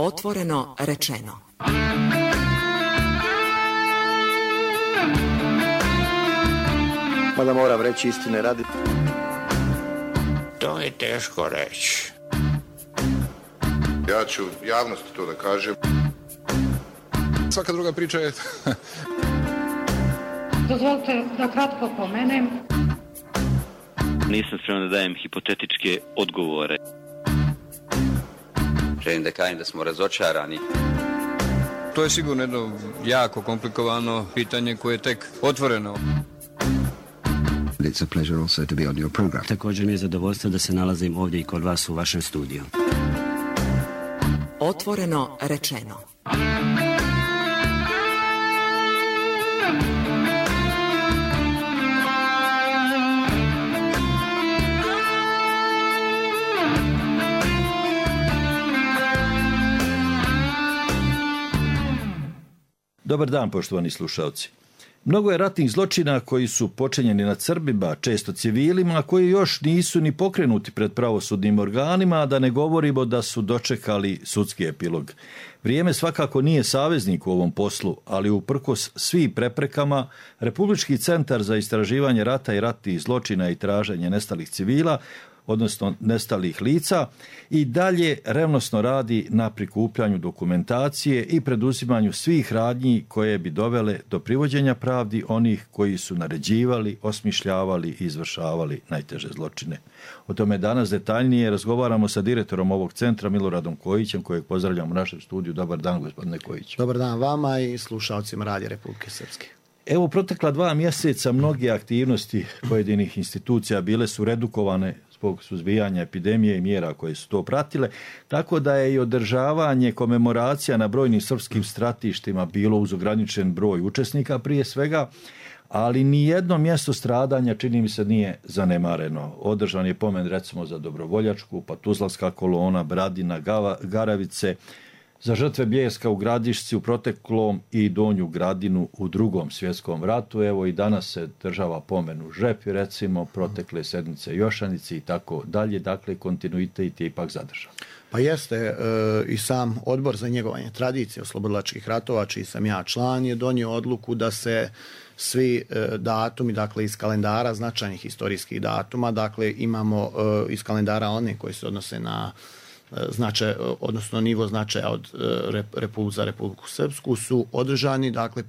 Otvoreno rečeno. Mada moram reći istine radi. To je teško reći. Ja ću javnosti to da kažem. Svaka druga priča je... Dozvolite da kratko pomenem. Nisam spreman da dajem hipotetičke odgovore. Želim da kažem da smo razočarani. To je sigurno jedno jako komplikovano pitanje koje je tek otvoreno. It's a pleasure also to be on your program. Također mi je zadovoljstvo da se nalazim ovdje i kod vas u vašem studiju. Otvoreno rečeno. Dobar dan, poštovani slušalci. Mnogo je ratnih zločina koji su počinjeni nad Srbima, često civilima, koji još nisu ni pokrenuti pred pravosudnim organima, a da ne govorimo da su dočekali sudski epilog. Vrijeme svakako nije saveznik u ovom poslu, ali uprkos svim preprekama, Republički centar za istraživanje rata i ratnih zločina i traženje nestalih civila, odnosno nestalih lica, i dalje revnosno radi na prikupljanju dokumentacije i preduzimanju svih radnji koje bi dovele do privođenja pravdi onih koji su naređivali, osmišljavali i izvršavali najteže zločine. O tome danas detaljnije razgovaramo sa direktorom ovog centra, Miloradom Kojićem, kojeg pozdravljam u našem studiju. Dobar dan, gospodine Kojić. Dobar dan vama i slušalcima Radija Republike Srpske. Evo, protekla 2 mjeseca mnoge aktivnosti pojedinih institucija bile su redukovane zbog suzbijanja epidemije i mjera koje su to pratile, tako da je i održavanje komemoracija na brojnim srpskim stratištima bilo uz ograničen broj učesnika prije svega, ali ni jedno mjesto stradanja, čini mi se, nije zanemareno. Održan je pomen recimo za Dobrovoljačku, pa Tuzlanska kolona, Bradina, Garavice, za žrtve Bljeska u Gradišci u proteklom i Donju Gradinu u Drugom svjetskom ratu. Evo i danas se država pomen u Žepi, recimo, protekle sedmice Jošanici i tako dalje. Dakle, kontinuitet je ipak zadržan. Pa jeste, i sam Odbor za njegovanje tradicije oslobodilačkih ratova, čiji sam ja član, je donio odluku da se svi datumi, dakle iz kalendara značajnih historijskih datuma, dakle imamo iz kalendara one koji se odnose na značaj, odnosno nivo značaja od za Republiku Srpsku, su održani, dakle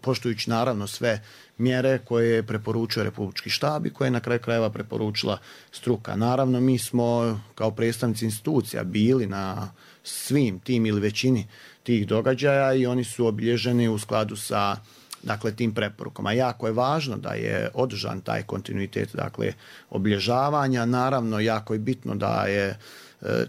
poštujući naravno sve mjere koje je preporučio Republički štab i koje je na kraju krajeva preporučila struka. Naravno, mi smo kao predstavnici institucija bili na svim tim ili većini tih događaja i oni su obilježeni u skladu sa, dakle, tim preporukama. Jako je važno da je održan taj kontinuitet, dakle, obilježavanja. Naravno, jako je bitno da je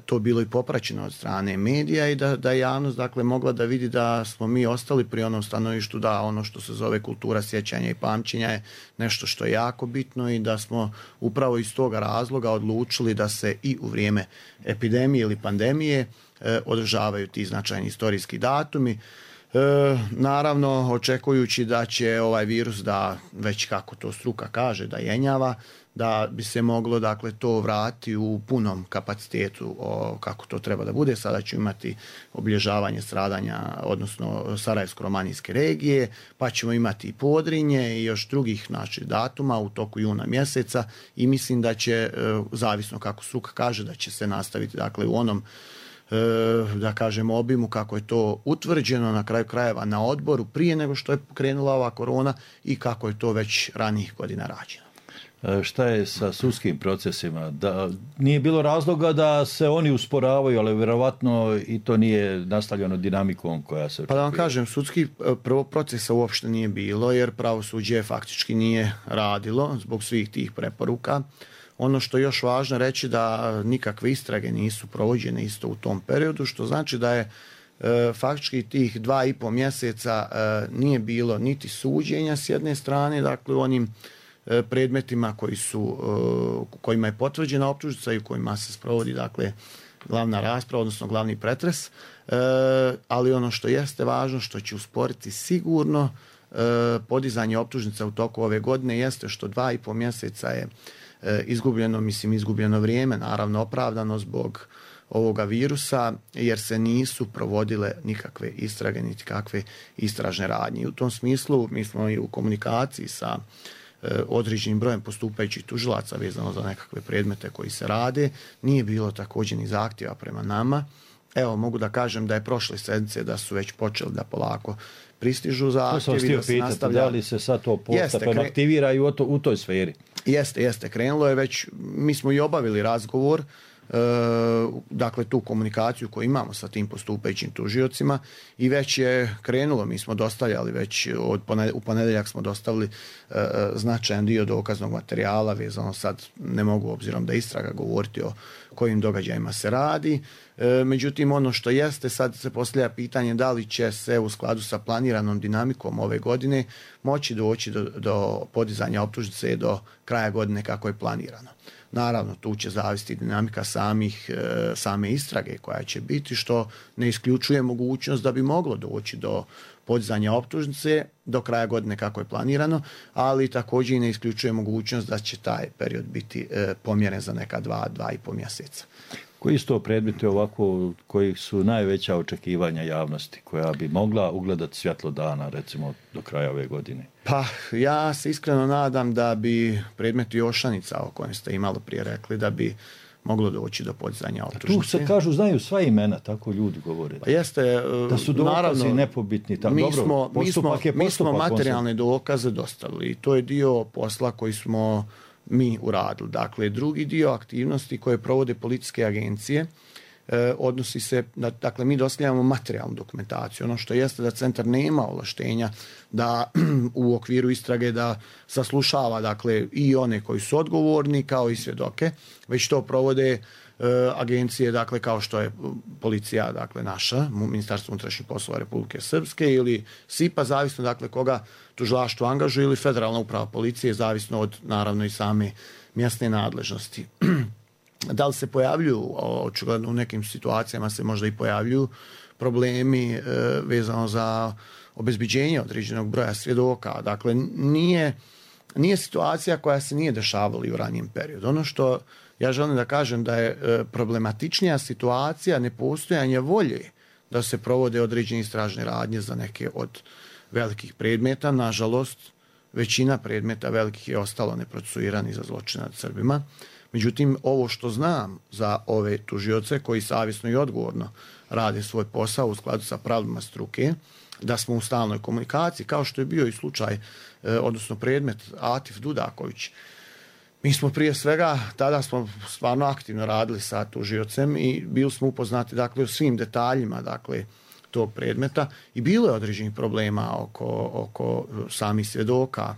to bilo i popraćeno od strane medija i da je javnost, dakle, mogla da vidi da smo mi ostali pri onom stanovištu da ono što se zove kultura sjećanja i pamćenja je nešto što je jako bitno i da smo upravo iz toga razloga odlučili da se i u vrijeme epidemije ili pandemije održavaju ti značajni istorijski datumi. Naravno, očekujući da će ovaj virus, da već kako to struka kaže, da jenjava, da bi se moglo, dakle, to vratiti u punom kapacitetu kako to treba da bude. Sada ću imati obilježavanje stradanja, odnosno Sarajevsko-romanijske regije, pa ćemo imati i Podrinje i još drugih datuma u toku juna mjeseca i mislim da će, zavisno kako struka kaže, da će se nastaviti, dakle, u onom, da kažemo, obimu kako je to utvrđeno na kraju krajeva na odboru prije nego što je krenula ova korona i kako je to već ranijih godina rađeno. Šta je sa sudskim procesima? Da nije bilo razloga da se oni usporavaju, ali vjerovatno i to nije nastavljeno dinamikom koja se očekuje. Pa da vam kažem, sudski prvog procesa uopšte nije bilo, jer pravosuđe faktički nije radilo zbog svih tih preporuka. Ono što je još važno reći da nikakve istrage nisu provođene isto u tom periodu, što znači da je faktički tih 2,5 mjeseca nije bilo niti suđenja s jedne strane, dakle u onim predmetima kojima je potvrđena optužnica i u kojima se sprovodi, dakle, glavna rasprava, odnosno glavni pretres, ali ono što jeste važno, što će usporiti sigurno podizanje optužnica u toku ove godine, jeste što 2,5 mjeseca je izgubljeno vrijeme, naravno opravdano zbog ovoga virusa, jer se nisu provodile nikakve istrage, niti kakve istražne radnje. U tom smislu mi smo i u komunikaciji sa određenim brojem postupajućih tužilaca vezano za nekakve predmete koji se rade. Nije bilo također ni zahtjeva prema nama. Evo, mogu da kažem da je prošle sedmice da su već počeli da polako pristižu zahtjevi, da se nastavlja. Da li se sad to postepeno aktivira i u toj sferi? Jeste, krenulo je već, mi smo i obavili razgovor, dakle tu komunikaciju koju imamo sa tim postupajućim tužiocima i već je krenulo, mi smo dostavljali već u ponedjeljak smo dostavili značajan dio dokaznog materijala, vezano sad ne mogu obzirom da istraga govoriti o kojim događajima se radi. Međutim, ono što jeste, sad se postavlja pitanje da li će se u skladu sa planiranom dinamikom ove godine moći doći do podizanja optužnice do kraja godine kako je planirano. Naravno, tu će zavisiti dinamika same istrage koja će biti, što ne isključuje mogućnost da bi moglo doći do podizanja optužnice do kraja godine kako je planirano, ali također i ne isključuje mogućnost da će taj period biti pomjeren za neka 2,5 mjeseca. Koji su to predmeti ovako koji su najveća očekivanja javnosti koja bi mogla ugledati svjetlo dana recimo do kraja ove godine? Pa ja se iskreno nadam da bi predmet Jošanica o kojem ste i malo prije rekli da bi moglo doći do podizanja optužnice. Tu se kažu, znaju sva imena, tako ljudi govore. Pa jeste, da su dokazi nepobitni. Mi smo materijalne dokaze dostavili i to je dio posla koji smo mi uradili. Dakle, drugi dio aktivnosti koje provode policijske agencije odnosi se, dakle, mi dostavljamo materijalnu dokumentaciju. Ono što jeste da centar nema ovlaštenja da u okviru istrage da saslušava, dakle, i one koji su odgovorni kao i svjedoke, već to provode agencije, dakle, kao što je policija, dakle, naša, Ministarstvo unutrašnjih poslova Republike Srpske ili SIPA, zavisno, dakle, koga tužilaštvo angažuje, ili Federalna uprava policije, zavisno od, naravno, i same mjesne nadležnosti. Da li se pojavljuju, očigledno u nekim situacijama se možda i pojavljuju problemi vezano za obezbeđenje određenog broja svjedoka. Dakle, nije situacija koja se nije dešavala i u ranijem periodu. Ono što ja želim da kažem da je problematičnija situacija nepostojanje volje da se provode određene istražne radnje za neke od velikih predmeta. Nažalost, većina predmeta velikih je ostalo neprocesuirani za zločine nad Srbima. Međutim, ovo što znam za ove tužioce koji savjesno i odgovorno rade svoj posao u skladu sa pravilima struke, da smo u stalnoj komunikaciji, kao što je bio i slučaj, odnosno predmet Atif Dudaković. Mi smo prije svega, tada smo stvarno aktivno radili sa tužiocem i bili smo upoznati, dakle, u svim detaljima, dakle, tog predmeta i bilo je određenih problema oko samih svjedoka.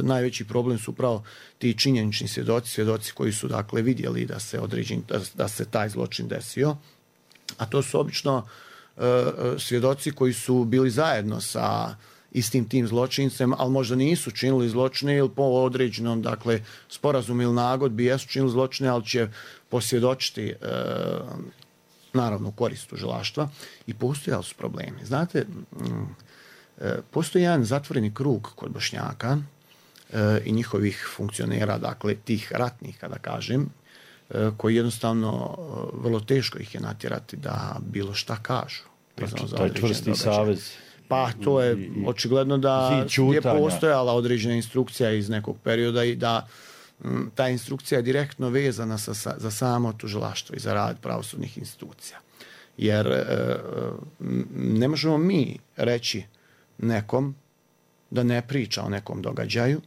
Najveći problem su upravo ti činjenični svjedoci koji su, dakle, vidjeli da se taj zločin desio, a to su obično svjedoci koji su bili zajedno sa istim tim zločincem, ali možda nisu činili zločine ili po određenom, dakle, sporazumu ili nagodbi jesu činili zločine, ali će posvjedočiti naravno u korist tužilaštva i postojali su problemi. Znate, postoji jedan zatvoreni krug kod Bošnjaka i njihovih funkcionera, dakle, tih ratnih, kada kažem, koji jednostavno vrlo teško ih je natjerati da bilo šta kažu. Taj čvrsti savez. Pa to je očigledno da je postojala određena instrukcija iz nekog perioda i da ta instrukcija je direktno vezana za samo tužilaštvo i za rad pravosudnih institucija. Jer ne možemo mi reći nekom da ne priča o nekom događaju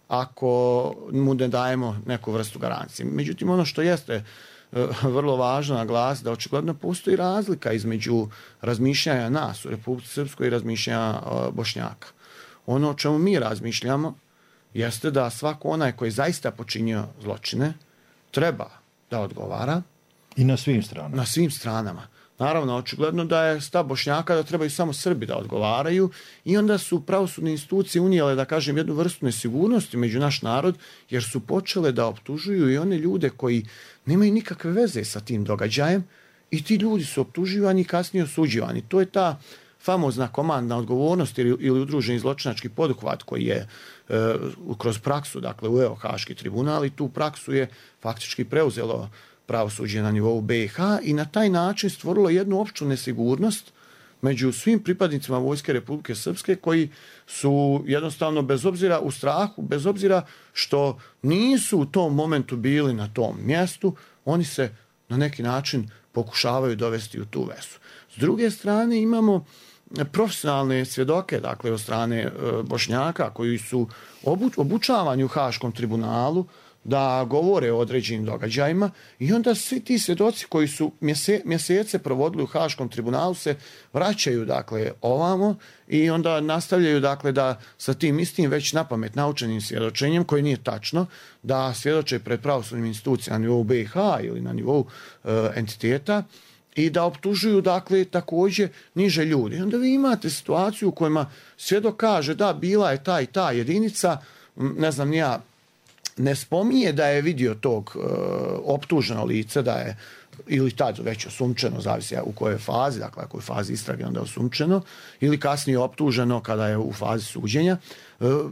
ako mu ne dajemo neku vrstu garancije. Međutim, ono što jeste vrlo važno naglasiti da očigledno postoji razlika između razmišljanja nas u Republici Srpskoj i razmišljanja Bošnjaka. Ono o čemu mi razmišljamo jeste da svako onaj koji zaista počinio zločine treba da odgovara. I na svim stranama. Na svim stranama. Naravno, očigledno da je stav Bošnjaka da trebaju samo Srbi da odgovaraju i onda su pravosudne institucije unijele, da kažem, jednu vrstu nesigurnosti među naš narod, jer su počele da optužuju i one ljude koji nemaju nikakve veze sa tim događajem i ti ljudi su optuživani i kasnije osuđivani. To je ta famozna komandna odgovornost ili udruženi zločinački poduhvat koji je kroz praksu, dakle, uveo Haški tribunal i tu praksu je faktički preuzelo pravosuđe na nivou BiH i na taj način stvorilo jednu opću nesigurnost među svim pripadnicima Vojske Republike Srpske koji su jednostavno bez obzira u strahu, bez obzira što nisu u tom momentu bili na tom mjestu, oni se na neki način pokušavaju dovesti u tu vezu. S druge strane imamo profesionalne svjedoke, dakle od strane Bošnjaka koji su obučavani u Haškom tribunalu da govore o određenim događajima i onda svi ti svjedoci koji su mjesece provodili u Haškom tribunalu se vraćaju dakle ovamo i onda nastavljaju dakle da sa tim istim već napamet naučenim svjedočenjem, koje nije tačno, da svjedoče pred pravosudnim institucijama na nivou BiH ili na nivou entiteta i da optužuju dakle također niže ljudi. I onda vi imate situaciju u kojima svjedok kaže da bila je ta i ta jedinica, ne znam ja, ne spominje da je vidio tog optuženo lice, da je ili tad već osumčeno, zavisi u kojoj fazi, dakle ako je u fazi istrage onda je osumčeno, ili kasnije optuženo kada je u fazi suđenja,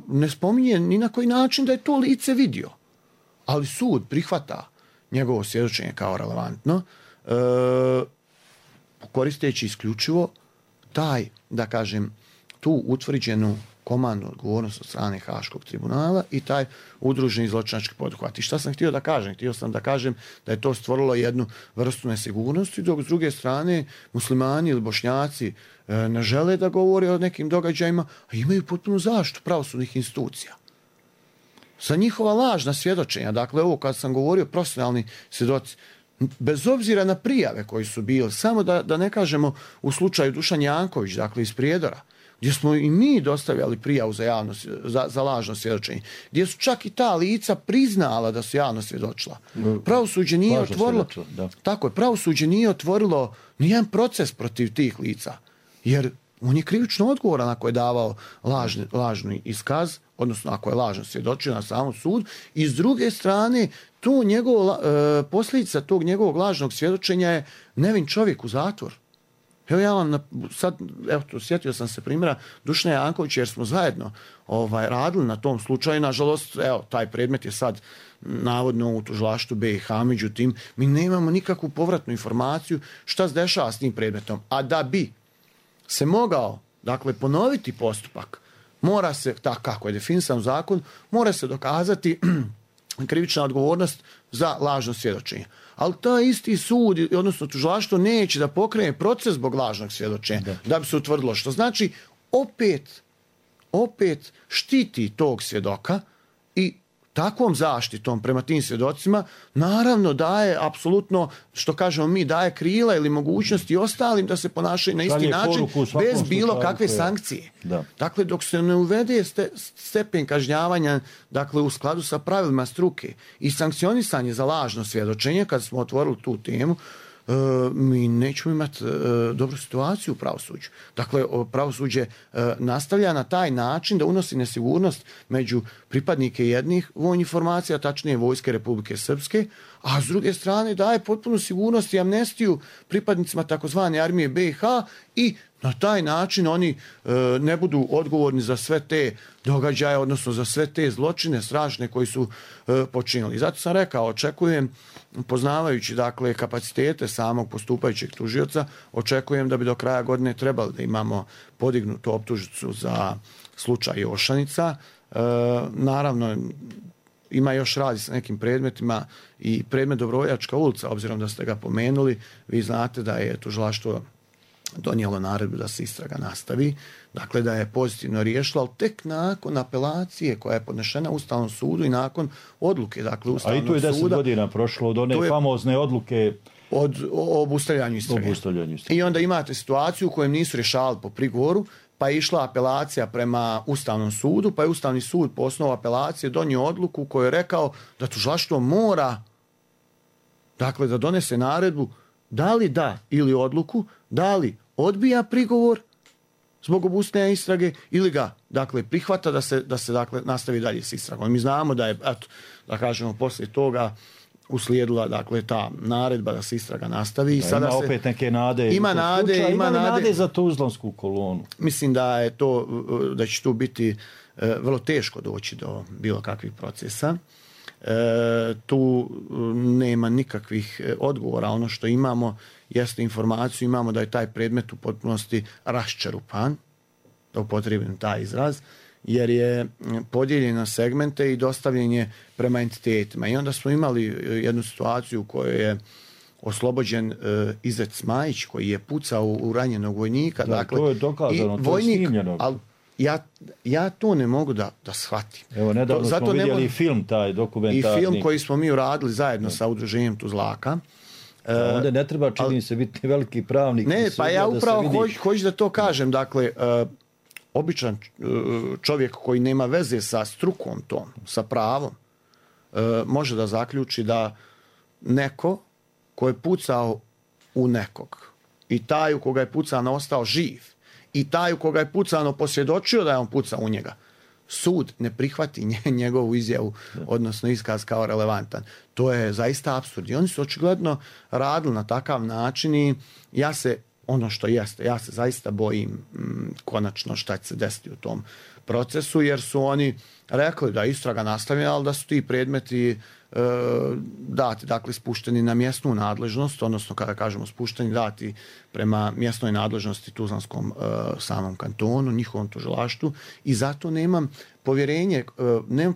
ne spominje ni na koji način da je to lice vidio. Ali sud prihvata njegovo svjedočenje kao relevantno, koristeći isključivo taj, da kažem, tu utvrđenu komandnu odgovornost od strane Haškog tribunala i taj udruženi zločinački poduhvat. I šta sam htio da kažem? Htio sam da kažem da je to stvorilo jednu vrstu nesigurnosti, dok s druge strane muslimani ili Bošnjaci ne žele da govore o nekim događajima, a imaju potpunu zaštitu pravosudnih institucija. Za njihova lažna svjedočenja, dakle ovo kad sam govorio profesionalni svjedoci, bez obzira na prijave koji su bili, samo da ne kažemo u slučaju Dušan Janković, dakle iz Prijedora, gdje smo i mi dostavljali prijavu za lažno svjedočenje, gdje su čak i ta lica priznala da su javno svjedočila. Pravosuđe nije otvorilo, tako je, pravosuđe nije otvorilo nijedan proces protiv tih lica, jer on je krivično odgovoran ako je davao lažni iskaz, odnosno ako je lažno svjedočio na samom sudu, i s druge strane posljedica tog njegovog lažnog svjedočenja je nevin čovjek u zatvor. Evo ja vam sjetio sam se primjera Dušana Jankovića jer smo zajedno radili na tom slučaju. Nažalost, taj predmet je sad navodno u tužilaštvu BiH, međutim, mi nemamo nikakvu povratnu informaciju šta se dešava s tim predmetom. A da bi se mogao, dakle, ponoviti postupak, mora se, tako kako je definisan u zakon, mora se dokazati krivična odgovornost za lažno svjedočenje. Ali taj isti sud, odnosno tužilaštvo, neće da pokrene proces zbog lažnog svjedočenja da bi se utvrdilo, što znači opet štiti tog svjedoka i takvom zaštitom prema tim svjedocima naravno daje apsolutno, što kažemo mi, daje krila ili mogućnosti ostalim da se ponašaju na isti način bez bilo kakve sankcije. Dakle, dok se ne uvede stepen kažnjavanja, dakle, u skladu sa pravilima struke i sankcionisanje za lažno svjedočenje, kad smo otvorili tu temu, mi nećemo imati dobru situaciju u pravosuđu. Dakle, pravosuđe nastavlja na taj način da unosi nesigurnost među pripadnike jednih vojnih formacija, tačnije Vojske Republike Srpske, a s druge strane daje potpunu sigurnost i amnestiju pripadnicima takozvane armije BiH i na taj način oni ne budu odgovorni za sve te događaje, odnosno za sve te zločine strašne koji su počinili. Zato sam rekao, očekujem, poznavajući dakle kapacitete samog postupajućeg tužioca, očekujem da bi do kraja godine trebali da imamo podignutu optužnicu za slučaj Jošanica. Naravno, ima još radi sa nekim predmetima i predmet Dobrovoljačka ulica, obzirom da ste ga pomenuli, vi znate da je tužilaštvo donijelo naredbu da se istraga nastavi, dakle da je pozitivno riješilo, ali tek nakon apelacije koja je podnešena Ustavnom sudu i nakon odluke, dakle, Ustavnog suda. A i tu je 10 godina prošlo od one famozne odluke o obustavljanju istrage. I onda imate situaciju u kojem nisu rješavali po prigovoru, pa je išla apelacija prema Ustavnom sudu, pa je Ustavni sud po osnovu apelacije donio odluku koju je rekao da tužilaštvo mora, dakle, da donese naredbu da li da ili odluku, da li odbija prigovor zbog obustavljanja istrage ili ga, dakle, prihvata da se dakle, nastavi dalje s istragom. Mi znamo da je, eto, da kažemo, poslije toga uslijedila, dakle, ta naredba da se istraga nastavi. Da, ima opet neke nade. Ima nade za Tuzlansku kolonu. Mislim da će tu biti vrlo teško doći do bilo kakvih procesa. Tu nema nikakvih odgovora. Ono što imamo jeste informaciju, imamo da je taj predmet u potpunosti raščerupan, da upotrijebim taj izraz, jer je podijeljen na segmente i dostavljen je prema entitetima. I onda smo imali jednu situaciju u kojoj je oslobođen Izet Smajić, koji je pucao u ranjenog vojnika. Da, dakle, to je dokazano, to je snimljeno. Ali ja to ne mogu da shvatim. Evo, nedavno smo vidjeli film taj dokumentarni. I film koji smo mi uradili zajedno sa udruženjem Tuzlaka. Onda ne treba, čini se, biti veliki pravnik. Ne, pa ja upravo hoću da to kažem. Dakle, običan čovjek koji nema veze sa strukom tom, sa pravom, može da zaključi da neko ko je pucao u nekog i taj u koga je pucano ostao živ i taj u koga je pucano posvjedočio da je on pucao u njega, sud ne prihvati njegovu izjavu, odnosno iskaz kao relevantan. To je zaista apsurd. I oni su očigledno radili na takav način i ja se zaista bojim konačno šta će se desiti u tom procesu, jer su oni rekli da je istraga nastavljena, ali da su ti predmeti dati, dakle, spušteni na mjesnu nadležnost, odnosno kada kažemo spušteni, dati prema mjesnoj nadležnosti Tuzlanskom samom kantonu, njihovom tužilaštvu, i zato nemam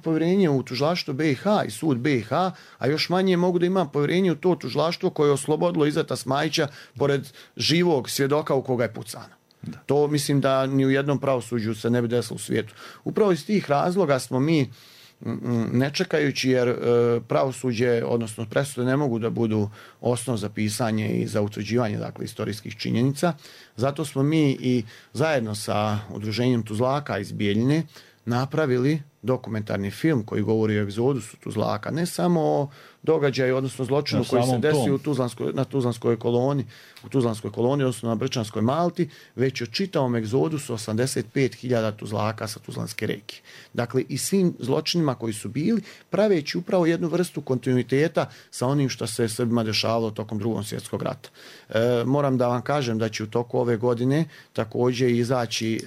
povjerenje u tužilaštvo BiH i sud BiH, a još manje mogu da imam povjerenje u to tužilaštvo koje je oslobodilo Izeta Smajića pored živog svjedoka u koga je pucano. Da. To mislim da ni u jednom pravosuđu se ne bi desilo u svijetu. Upravo iz tih razloga smo mi, ne čekajući, jer pravosuđe, odnosno presude ne mogu da budu osnov za pisanje i za utvrđivanje, dakle, istorijskih činjenica. Zato smo mi i zajedno sa udruženjem Tuzlaka iz Bijeljine napravili dokumentarni film koji govori o egzodusu Tuzlaka, ne samo o događaju, odnosno zločinu koji se desio na Tuzlanskoj koloni, odnosno na Brčanskoj Malti, već o čitavom egzodusu 85.000 Tuzlaka sa Tuzlanske reke. Dakle, i svim zločinima koji su bili, praveći upravo jednu vrstu kontinuiteta sa onim što se Srbima dešavalo tokom Drugog svjetskog rata. Moram da vam kažem da će u toku ove godine također izaći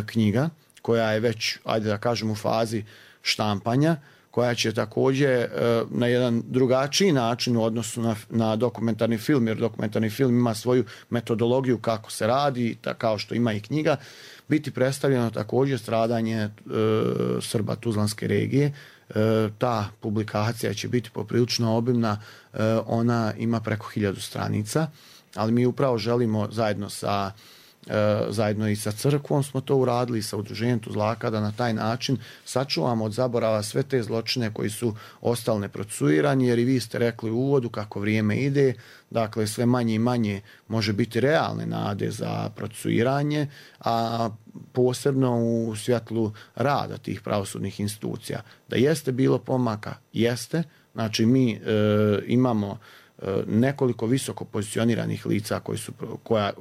knjiga koja je već, ajde da kažem, u fazi štampanja, koja će također na jedan drugačiji način u odnosu na dokumentarni film, jer dokumentarni film ima svoju metodologiju kako se radi, kao što ima i knjiga, biti predstavljeno također stradanje Srba Tuzlanske regije. Ta publikacija će biti poprilično obimna, ona ima preko 1000 stranica, ali mi upravo želimo zajedno i sa crkvom smo to uradili, sa udruženjem Tuzlaka, da na taj način sačuvamo od zaborava sve te zločine koji su ostali neprocesuirani, jer i vi ste rekli u uvodu kako vrijeme ide, dakle sve manje i manje može biti realne nade za procesuiranje, a posebno u svjetlu rada tih pravosudnih institucija. Da jeste bilo pomaka, jeste, znači mi imamo nekoliko visoko pozicioniranih lica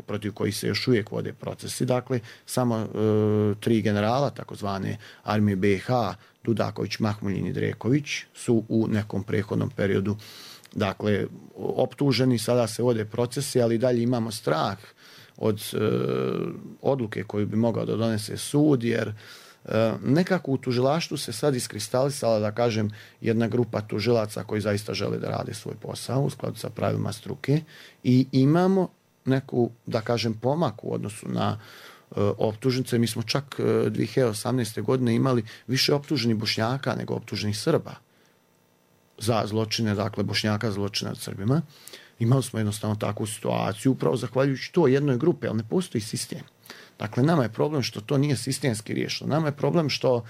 protiv kojih se još uvijek vode procesi, dakle samo 3 generala takozvane armije BiH, Dudaković, Mahmuljin i Dreković, su u nekom prethodnom periodu, dakle, optuženi, sada se vode procesi, ali dalje imamo strah od odluke koju bi mogao da donese sud, jer nekako u tužilaštvu se sad iskristalisala, da kažem, jedna grupa tužilaca koji zaista žele da rade svoj posao u skladu sa pravilima struke, i imamo neku, da kažem, pomak u odnosu na optužnice. Mi smo čak 2018. godine imali više optuženih Bošnjaka nego optuženih Srba za zločine, dakle Bošnjaka za zločine nad Srbima. Imali smo jednostavno takvu situaciju, upravo zahvaljujući to jednoj grupi, ali ne postoji sistem. Dakle, nama je problem što to nije sistemski riješeno. Nama je problem što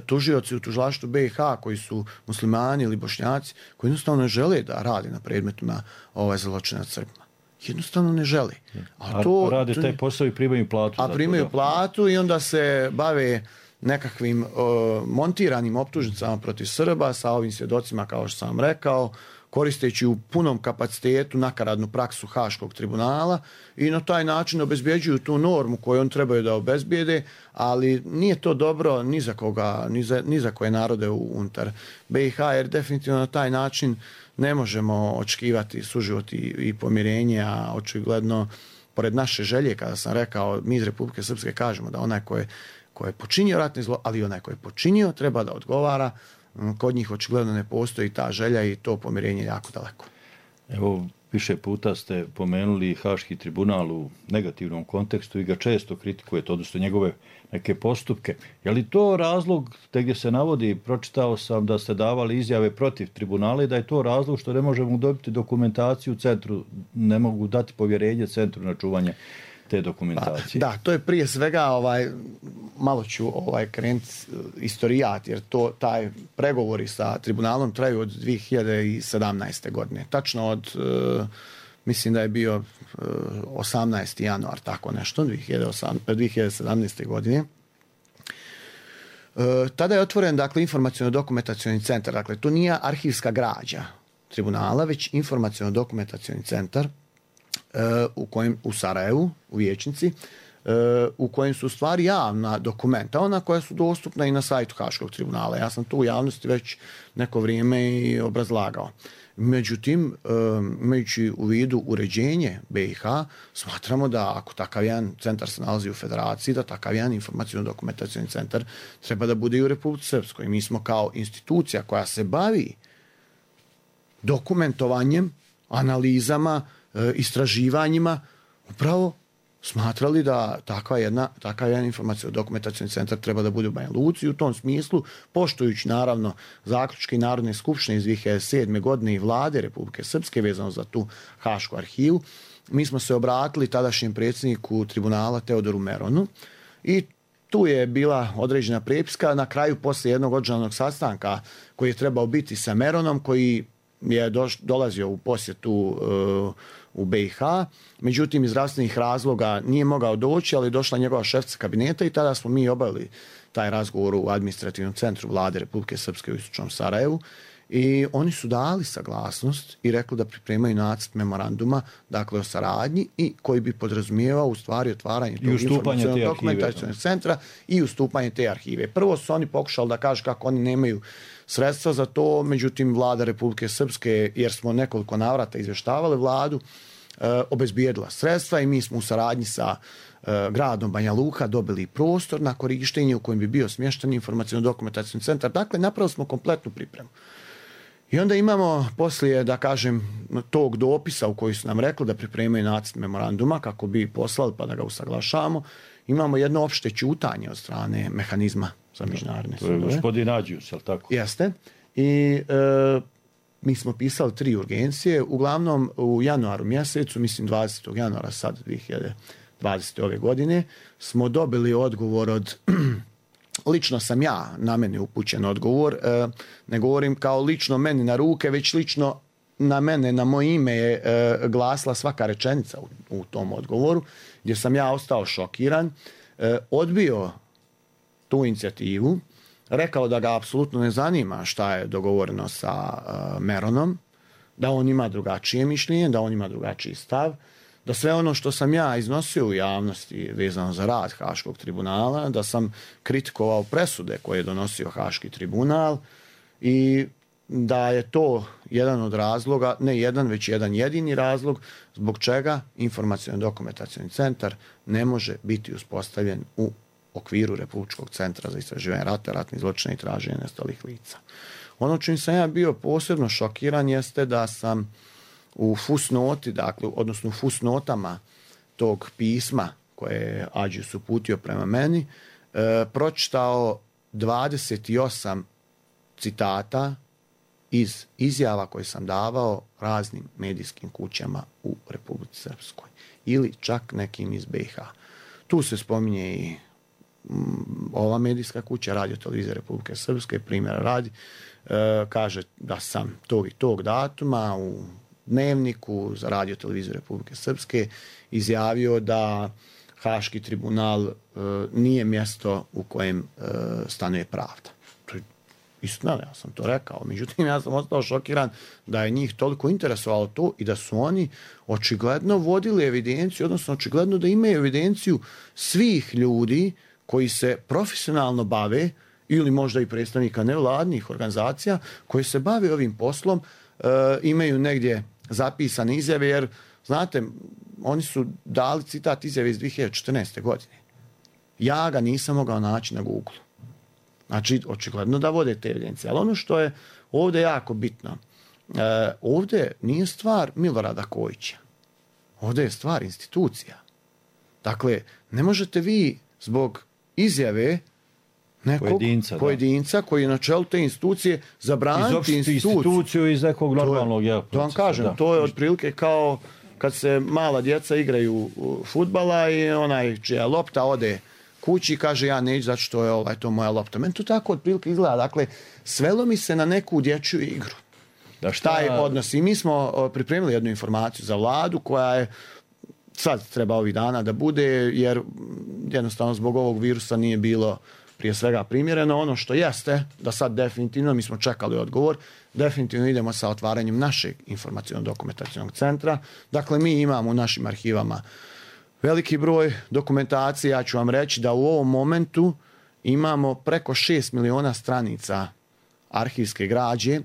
tužioci u tužilaštvu BiH, koji su muslimani ili Bošnjaci, koji jednostavno ne žele da rade na predmetima zločina nad Srbima. Jednostavno ne žele. A rade taj posao i primaju platu. A primaju platu i onda se bave nekakvim montiranim optužnicama protiv Srba sa ovim svjedocima, kao što sam rekao, koristeći u punom kapacitetu nakaradnu praksu Haškog tribunala, i na taj način obezbjeđuju tu normu koju on trebaju da obezbijede, ali nije to dobro ni za koga, ni za koje narode unutar BiH, jer definitivno na taj način ne možemo očekivati suživot i pomirenje, a očigledno, pored naše želje, kada sam rekao, mi iz Republike Srpske kažemo da onaj ko je počinio ratni zlo, ali onaj ko je počinio treba da odgovara, kod njih očigledno ne postoji ta želja i to pomirenje jako daleko. Evo, više puta ste pomenuli Haški tribunal u negativnom kontekstu i ga često kritikujete, odnosno njegove neke postupke. Je li to razlog, te gdje se navodi, pročitao sam da ste davali izjave protiv tribunala i da je to razlog što ne možemo dobiti dokumentaciju centru, ne mogu dati povjerenje centru na čuvanje te dokumentacije? Da, to je prije svega, malo ću krenuti istorijat, jer taj pregovori sa tribunalom traju od 2017. godine. Tačno od, mislim da je bio 18. januar, tako nešto, 2017. godine. Tada je otvoren, dakle, informaciono-dokumentacioni centar. Dakle, to nije arhivska građa tribunala, već informaciono-dokumentacioni centar u Sarajevu, u Vijećnici, u kojem su stvari javna dokumenta, ona koja su dostupna i na sajtu Haškog tribunala. Ja sam to u javnosti već neko vrijeme i obrazlagao. Međutim, imajući u vidu uređenje BiH, smatramo da ako takav jedan centar se nalazi u Federaciji, da takav jedan informaciono-dokumentacioni centar treba da bude i u Republici Srpskoj. Mi smo kao institucija koja se bavi dokumentovanjem, analizama, istraživanjima, upravo smatrali da takav jedan informaciono-dokumentacioni centar treba da bude u Banja Luci. U tom smislu, poštujući naravno zaključke Narodne skupštine iz 2007. godine i vlade Republike Srpske vezano za tu Hašku arhivu, mi smo se obratili tadašnjem predsjedniku tribunala Teodoru Meronu i tu je bila određena prepiska. Na kraju, poslije jednog održanog sastanka koji je trebao biti sa Meronom, koji je dolazio u posjetu u BiH, međutim iz zdravstvenih razloga nije mogao doći, ali došla njegova šefica kabineta i tada smo mi obavili taj razgovor u administrativnom centru vlade Republike Srpske u istočnom Sarajevu i oni su dali saglasnost i rekli da pripremaju nacrt memoranduma, dakle o saradnji, i koji bi podrazumijevao u stvari otvaranje tog informacionog dokumentacionog centra i ustupanje te arhive. Prvo su oni pokušali da kažu kako oni nemaju sredstva za to, međutim vlada Republike Srpske, jer smo nekoliko navrata izvještavali vladu, obezbijedila sredstva i mi smo u saradnji sa gradom Banja Luka dobili prostor na korištenje u kojem bi bio smješten informaciono-dokumentacioni centar. Dakle, napravili smo kompletnu pripremu. I onda imamo poslije, da kažem, tog dopisa u koji su nam rekli da pripremaju nacrt memoranduma kako bi poslali pa da ga usaglašavamo, imamo jedno opšte ćutanje od strane mehanizma za međunarodne sudove. To je gospodin Ađius, je li tako? Jeste. I mi smo pisali 3 urgencije. Uglavnom u januaru mjesecu, mislim 20. januara sad 2020. ove godine, smo dobili odgovor od... Lično sam ja, na mene upućen odgovor, ne govorim kao lično meni na ruke, već lično na mene, na moje ime je glasila svaka rečenica u tom odgovoru, gdje sam ja ostao šokiran, odbio tu inicijativu, rekao da ga apsolutno ne zanima šta je dogovoreno sa Meronom, da on ima drugačije mišljenje, da on ima drugačiji stav, da sve ono što sam ja iznosio u javnosti vezano za rad Haškog tribunala, da sam kritikovao presude koje je donosio Haški tribunal i da je to jedan od razloga, ne jedan, već jedan jedini razlog zbog čega informaciono-dokumentacioni centar ne može biti uspostavljen u okviru Republičkog centra za istraživanje rata, ratnih zločina i traženja nestalih lica. Ono čim sam ja bio posebno šokiran jeste da sam u fusnoti, dakle, odnosno u fusnotama tog pisma koje je Ađius uputio prema meni, pročitao 28 citata iz izjava koje sam davao raznim medijskim kućama u Republici Srpskoj ili čak nekim iz BiH. Tu se spominje i ova medijska kuća, Radio televizija Republike Srpske, primjera radi, kaže da sam tog i tog datuma u Dnevniku za Radio televiziju Republike Srpske izjavio da Haški tribunal nije mjesto u kojem stanuje pravda. To je istina, ja sam to rekao. Međutim, ja sam ostao šokiran da je njih toliko interesovalo to i da su oni očigledno vodili evidenciju, odnosno očigledno da imaju evidenciju svih ljudi koji se profesionalno bave ili možda i predstavnika nevladnih organizacija koji se bave ovim poslom, imaju negdje zapisane izjave, jer znate, oni su dali citat izjave iz 2014. godine. Ja ga nisam mogao naći na Google. Znači, očigledno da vode te evidencije. Ali ono što je ovdje jako bitno, ovdje nije stvar Milorada Kojića. Ovdje je stvar institucija. Dakle, ne možete vi zbog izjave nekog pojedinca koji je na čelu te institucije zabraniti instituciju iz nekog normalnog procesa. To vam kažem, to je otprilike kao kad se mala djeca igraju fudbala i onaj čija lopta ode kući i kaže ja neću zato što je to moja lopta. Meni to tako otprilike izgleda. Dakle, svelo mi se na neku dječju igru. Taj odnos. I mi smo pripremili jednu informaciju za vladu koja je sad treba ovih dana da bude, jer jednostavno zbog ovog virusa nije bilo prije svega primjereno. Ono što jeste, da sad definitivno, mi smo čekali odgovor, definitivno idemo sa otvaranjem našeg informaciono-dokumentacionog centra. Dakle, mi imamo u našim arhivama veliki broj dokumentacije. Ja ću vam reći da u ovom momentu imamo preko 6 miliona stranica arhivske građe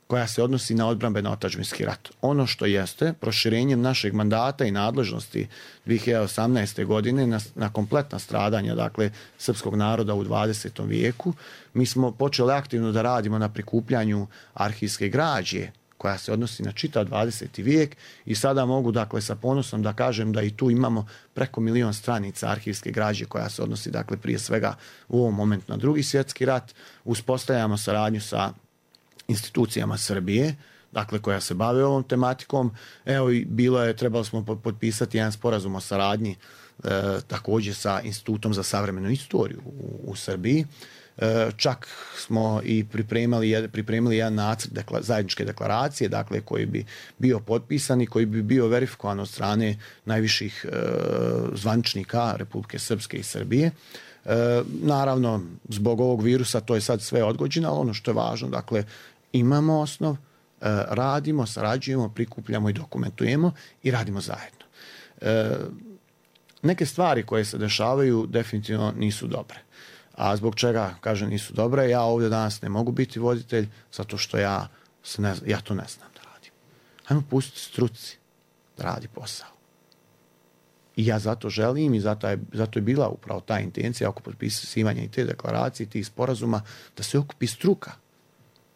koja se odnosi na odbrambeno-otadžbinski rat. Ono što jeste, proširenjem našeg mandata i nadležnosti 2018. godine na kompletna stradanja, dakle, srpskog naroda u 20. vijeku, mi smo počeli aktivno da radimo na prikupljanju arhivske građe koja se odnosi na čitav 20. vijek i sada mogu, dakle, sa ponosom da kažem da i tu imamo preko 1 milion stranica arhivske građe koja se odnosi, dakle, prije svega u ovom momentu na Drugi svjetski rat. Uspostavljamo saradnju sa institucijama Srbije, dakle, koja se bave ovom tematikom. Evo, trebali smo potpisati jedan sporazum o saradnji također sa Institutom za savremenu istoriju u Srbiji. Čak smo i pripremili jedan nacrt zajedničke deklaracije, dakle, koji bi bio potpisan i koji bi bio verifikovan od strane najviših zvaničnika Republike Srpske i Srbije. Naravno, zbog ovog virusa to je sad sve odgođeno, ali ono što je važno, dakle, imamo osnov, radimo, sarađujemo, prikupljamo i dokumentujemo i radimo zajedno. Neke stvari koje se dešavaju definitivno nisu dobre. A zbog čega, kažem, nisu dobre? Ja ovdje danas ne mogu biti voditelj zato što ja to ne znam da radim. Hajmo pustiti struci da radi posao. I ja zato želim i zato je bila upravo ta intencija oko potpisivanja i te deklaracije, i tih sporazuma, da se okupi struka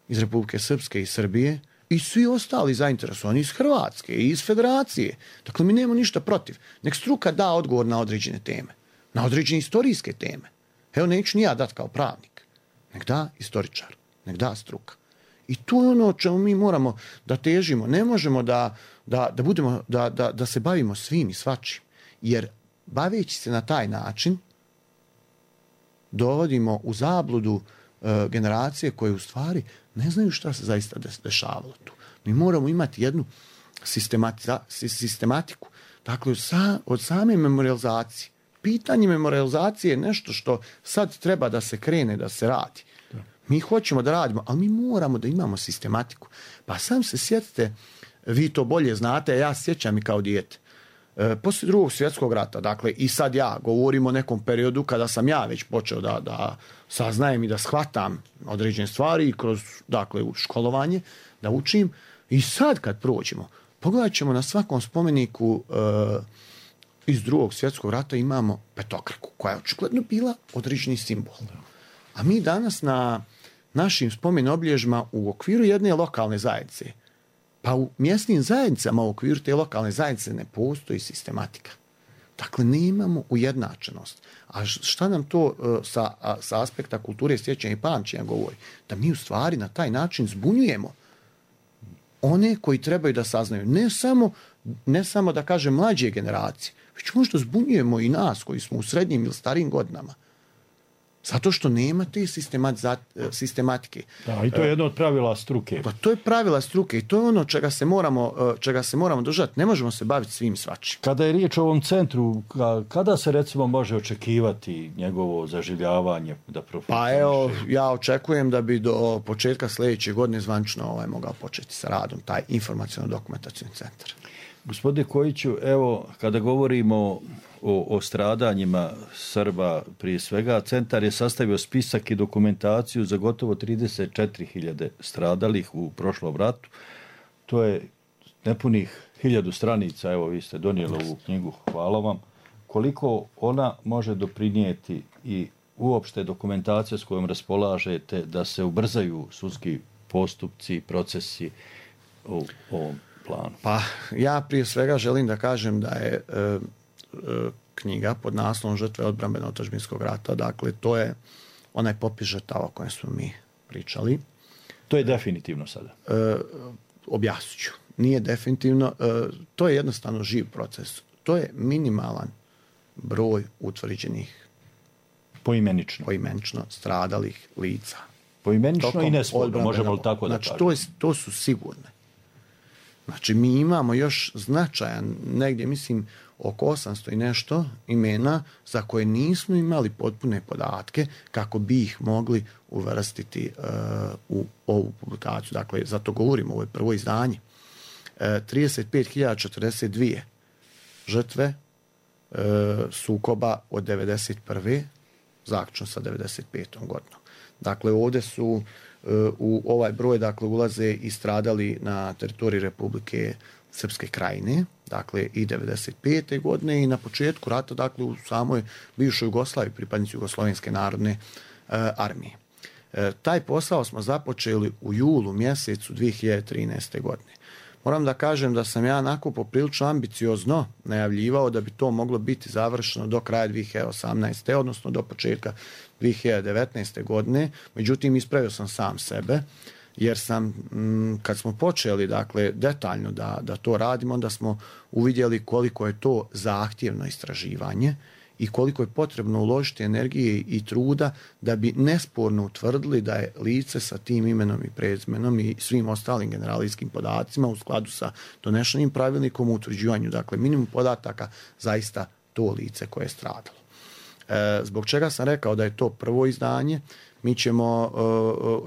iz Republike Srpske i Srbije i svi ostali zainteresovani iz Hrvatske i iz Federacije. Dakle, mi nemamo ništa protiv. Nek struka da odgovor na određene teme, na određene istorijske teme. Evo, neću ni ja dati kao pravnik. Nek da istoričar, nek da struka. I to je ono o čemu mi moramo da težimo. Ne možemo da se bavimo svim i svačim. Jer baveći se na taj način dovodimo u zabludu generacije koje u stvari ne znaju šta se zaista dešavalo tu. Mi moramo imati jednu sistematiku. Dakle, od same memorializacije. Pitanje memorializacije je nešto što sad treba da se krene, da se radi. Mi hoćemo da radimo, ali mi moramo da imamo sistematiku. Pa sam se sjetite, vi to bolje znate, a ja sjećam i kao dijete. Poslije Drugog svjetskog rata, dakle, i sad ja govorim o nekom periodu kada sam ja već počeo da saznajem i da shvatam određene stvari i kroz, dakle, školovanje, da učim. I sad kad prođemo, pogledat ćemo na svakom spomeniku iz Drugog svjetskog rata imamo petokraku, koja je očigledno bila određeni simbol. A mi danas na našim spomen obilježjima u okviru jedne lokalne zajednice, pa u mjesnim zajednicama u okviru te lokalne zajednice ne postoji sistematika. Dakle, nemamo ujednačenost. A šta nam to sa aspekta kulture, sjećanja i pamćenja govori? Da mi u stvari na taj način zbunjujemo one koji trebaju da saznaju. Ne samo da kažem mlađe generacije, već možda zbunjujemo i nas koji smo u srednjim ili starijim godinama. Zato što nema te sistematike. Da, i to je jedno od pravila struke. Pa to je pravila struke i to je ono čega se moramo držati. Ne možemo se baviti svim svačim. Kada je riječ o ovom centru, kada se recimo može očekivati njegovo zaživljavanje da profunkcioniše? Pa evo, ja očekujem da bi do početka sljedeće godine zvanično mogao početi sa radom taj informaciono-dokumentacijni centar. Gospodine Kojiću, evo, kada govorimo o stradanjima Srba prije svega, centar je sastavio spisak i dokumentaciju za gotovo 34.000 stradalih u prošlom ratu. To je nepunih 1000 stranica, evo vi ste donijeli ovu knjigu, hvala vam. Koliko ona može doprinijeti i uopšte dokumentacija s kojom raspolažete da se ubrzaju sudski postupci, procesi u ovom planu? Pa ja prije svega želim da kažem da je knjiga pod naslovom Žrtve odbrambeno-otadžbinskog rata, dakle to je onaj popis žrtava o kojem smo mi pričali. To je definitivno sada? Objasnit ću. Nije definitivno, to je jednostavno živ proces. To je minimalan broj utvrđenih poimenično stradalih lica. Poimenično i nesporno, možemo li tako da kažemo? Znači, to su sigurne. Znači, mi imamo još značajan, negdje mislim oko 800 i nešto imena za koje nismo imali potpune podatke kako bi ih mogli uvrstiti u ovu publikaciju. Dakle, zato govorimo, ovo je prvo izdanje. 35.042 žrtve sukoba od 1991. zaključno sa 1995. godinom. Dakle, ovdje su u ovaj broj ulaze i stradali na teritoriji Republike Srpske Krajine, dakle i 1995. godine i na početku rata, dakle u samoj bivšoj Jugoslaviji, pripadnici Jugoslovenske narodne armije. Taj posao smo započeli u julu mjesecu 2013. godine. Moram da kažem da sam ja onako poprilično ambiciozno najavljivao da bi to moglo biti završeno do kraja 2018. odnosno do početka 2019. godine. Međutim, ispravio sam sam sebe jer sam, kad smo počeli dakle, detaljno da to radimo, onda smo uvidjeli koliko je to zahtjevno istraživanje i koliko je potrebno uložiti energije i truda da bi nesporno utvrdili da je lice sa tim imenom i prezimenom i svim ostalim generalijskim podacima u skladu sa donešenim pravilnikom o utvrđivanju, dakle minimum podataka, zaista to lice koje je stradalo. Zbog čega sam rekao da je to prvo izdanje, mi ćemo,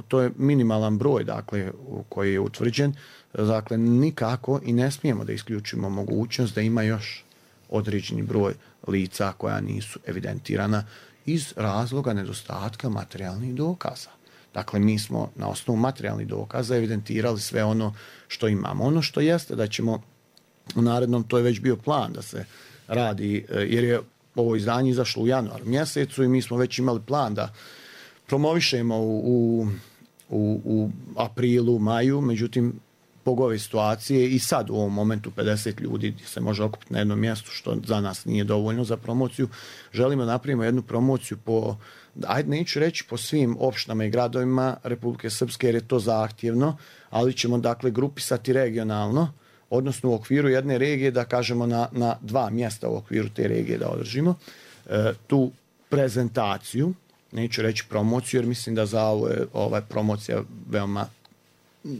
to je minimalan broj dakle, koji je utvrđen, dakle nikako i ne smijemo da isključimo mogućnost da ima još određeni broj lica koja nisu evidentirana iz razloga nedostatka materijalnih dokaza. Dakle, mi smo na osnovu materijalnih dokaza evidentirali sve ono što imamo. Ono što jeste da ćemo u narednom, to je već bio plan da se radi, jer je ovo izdanje izašlo u januaru mjesecu i mi smo već imali plan da promovišemo u aprilu, maju, međutim, zbog ove situacije i sad u ovom momentu 50 ljudi se može okupiti na jednom mjestu, što za nas nije dovoljno za promociju. Želimo da napravimo jednu promociju po, ajde neću reći po svim opštinama i gradovima Republike Srpske jer je to zahtjevno, ali ćemo dakle grupisati regionalno, odnosno u okviru jedne regije da kažemo na dva mjesta u okviru te regije da održimo tu prezentaciju, neću reći promociju jer mislim da za ovo je promocija veoma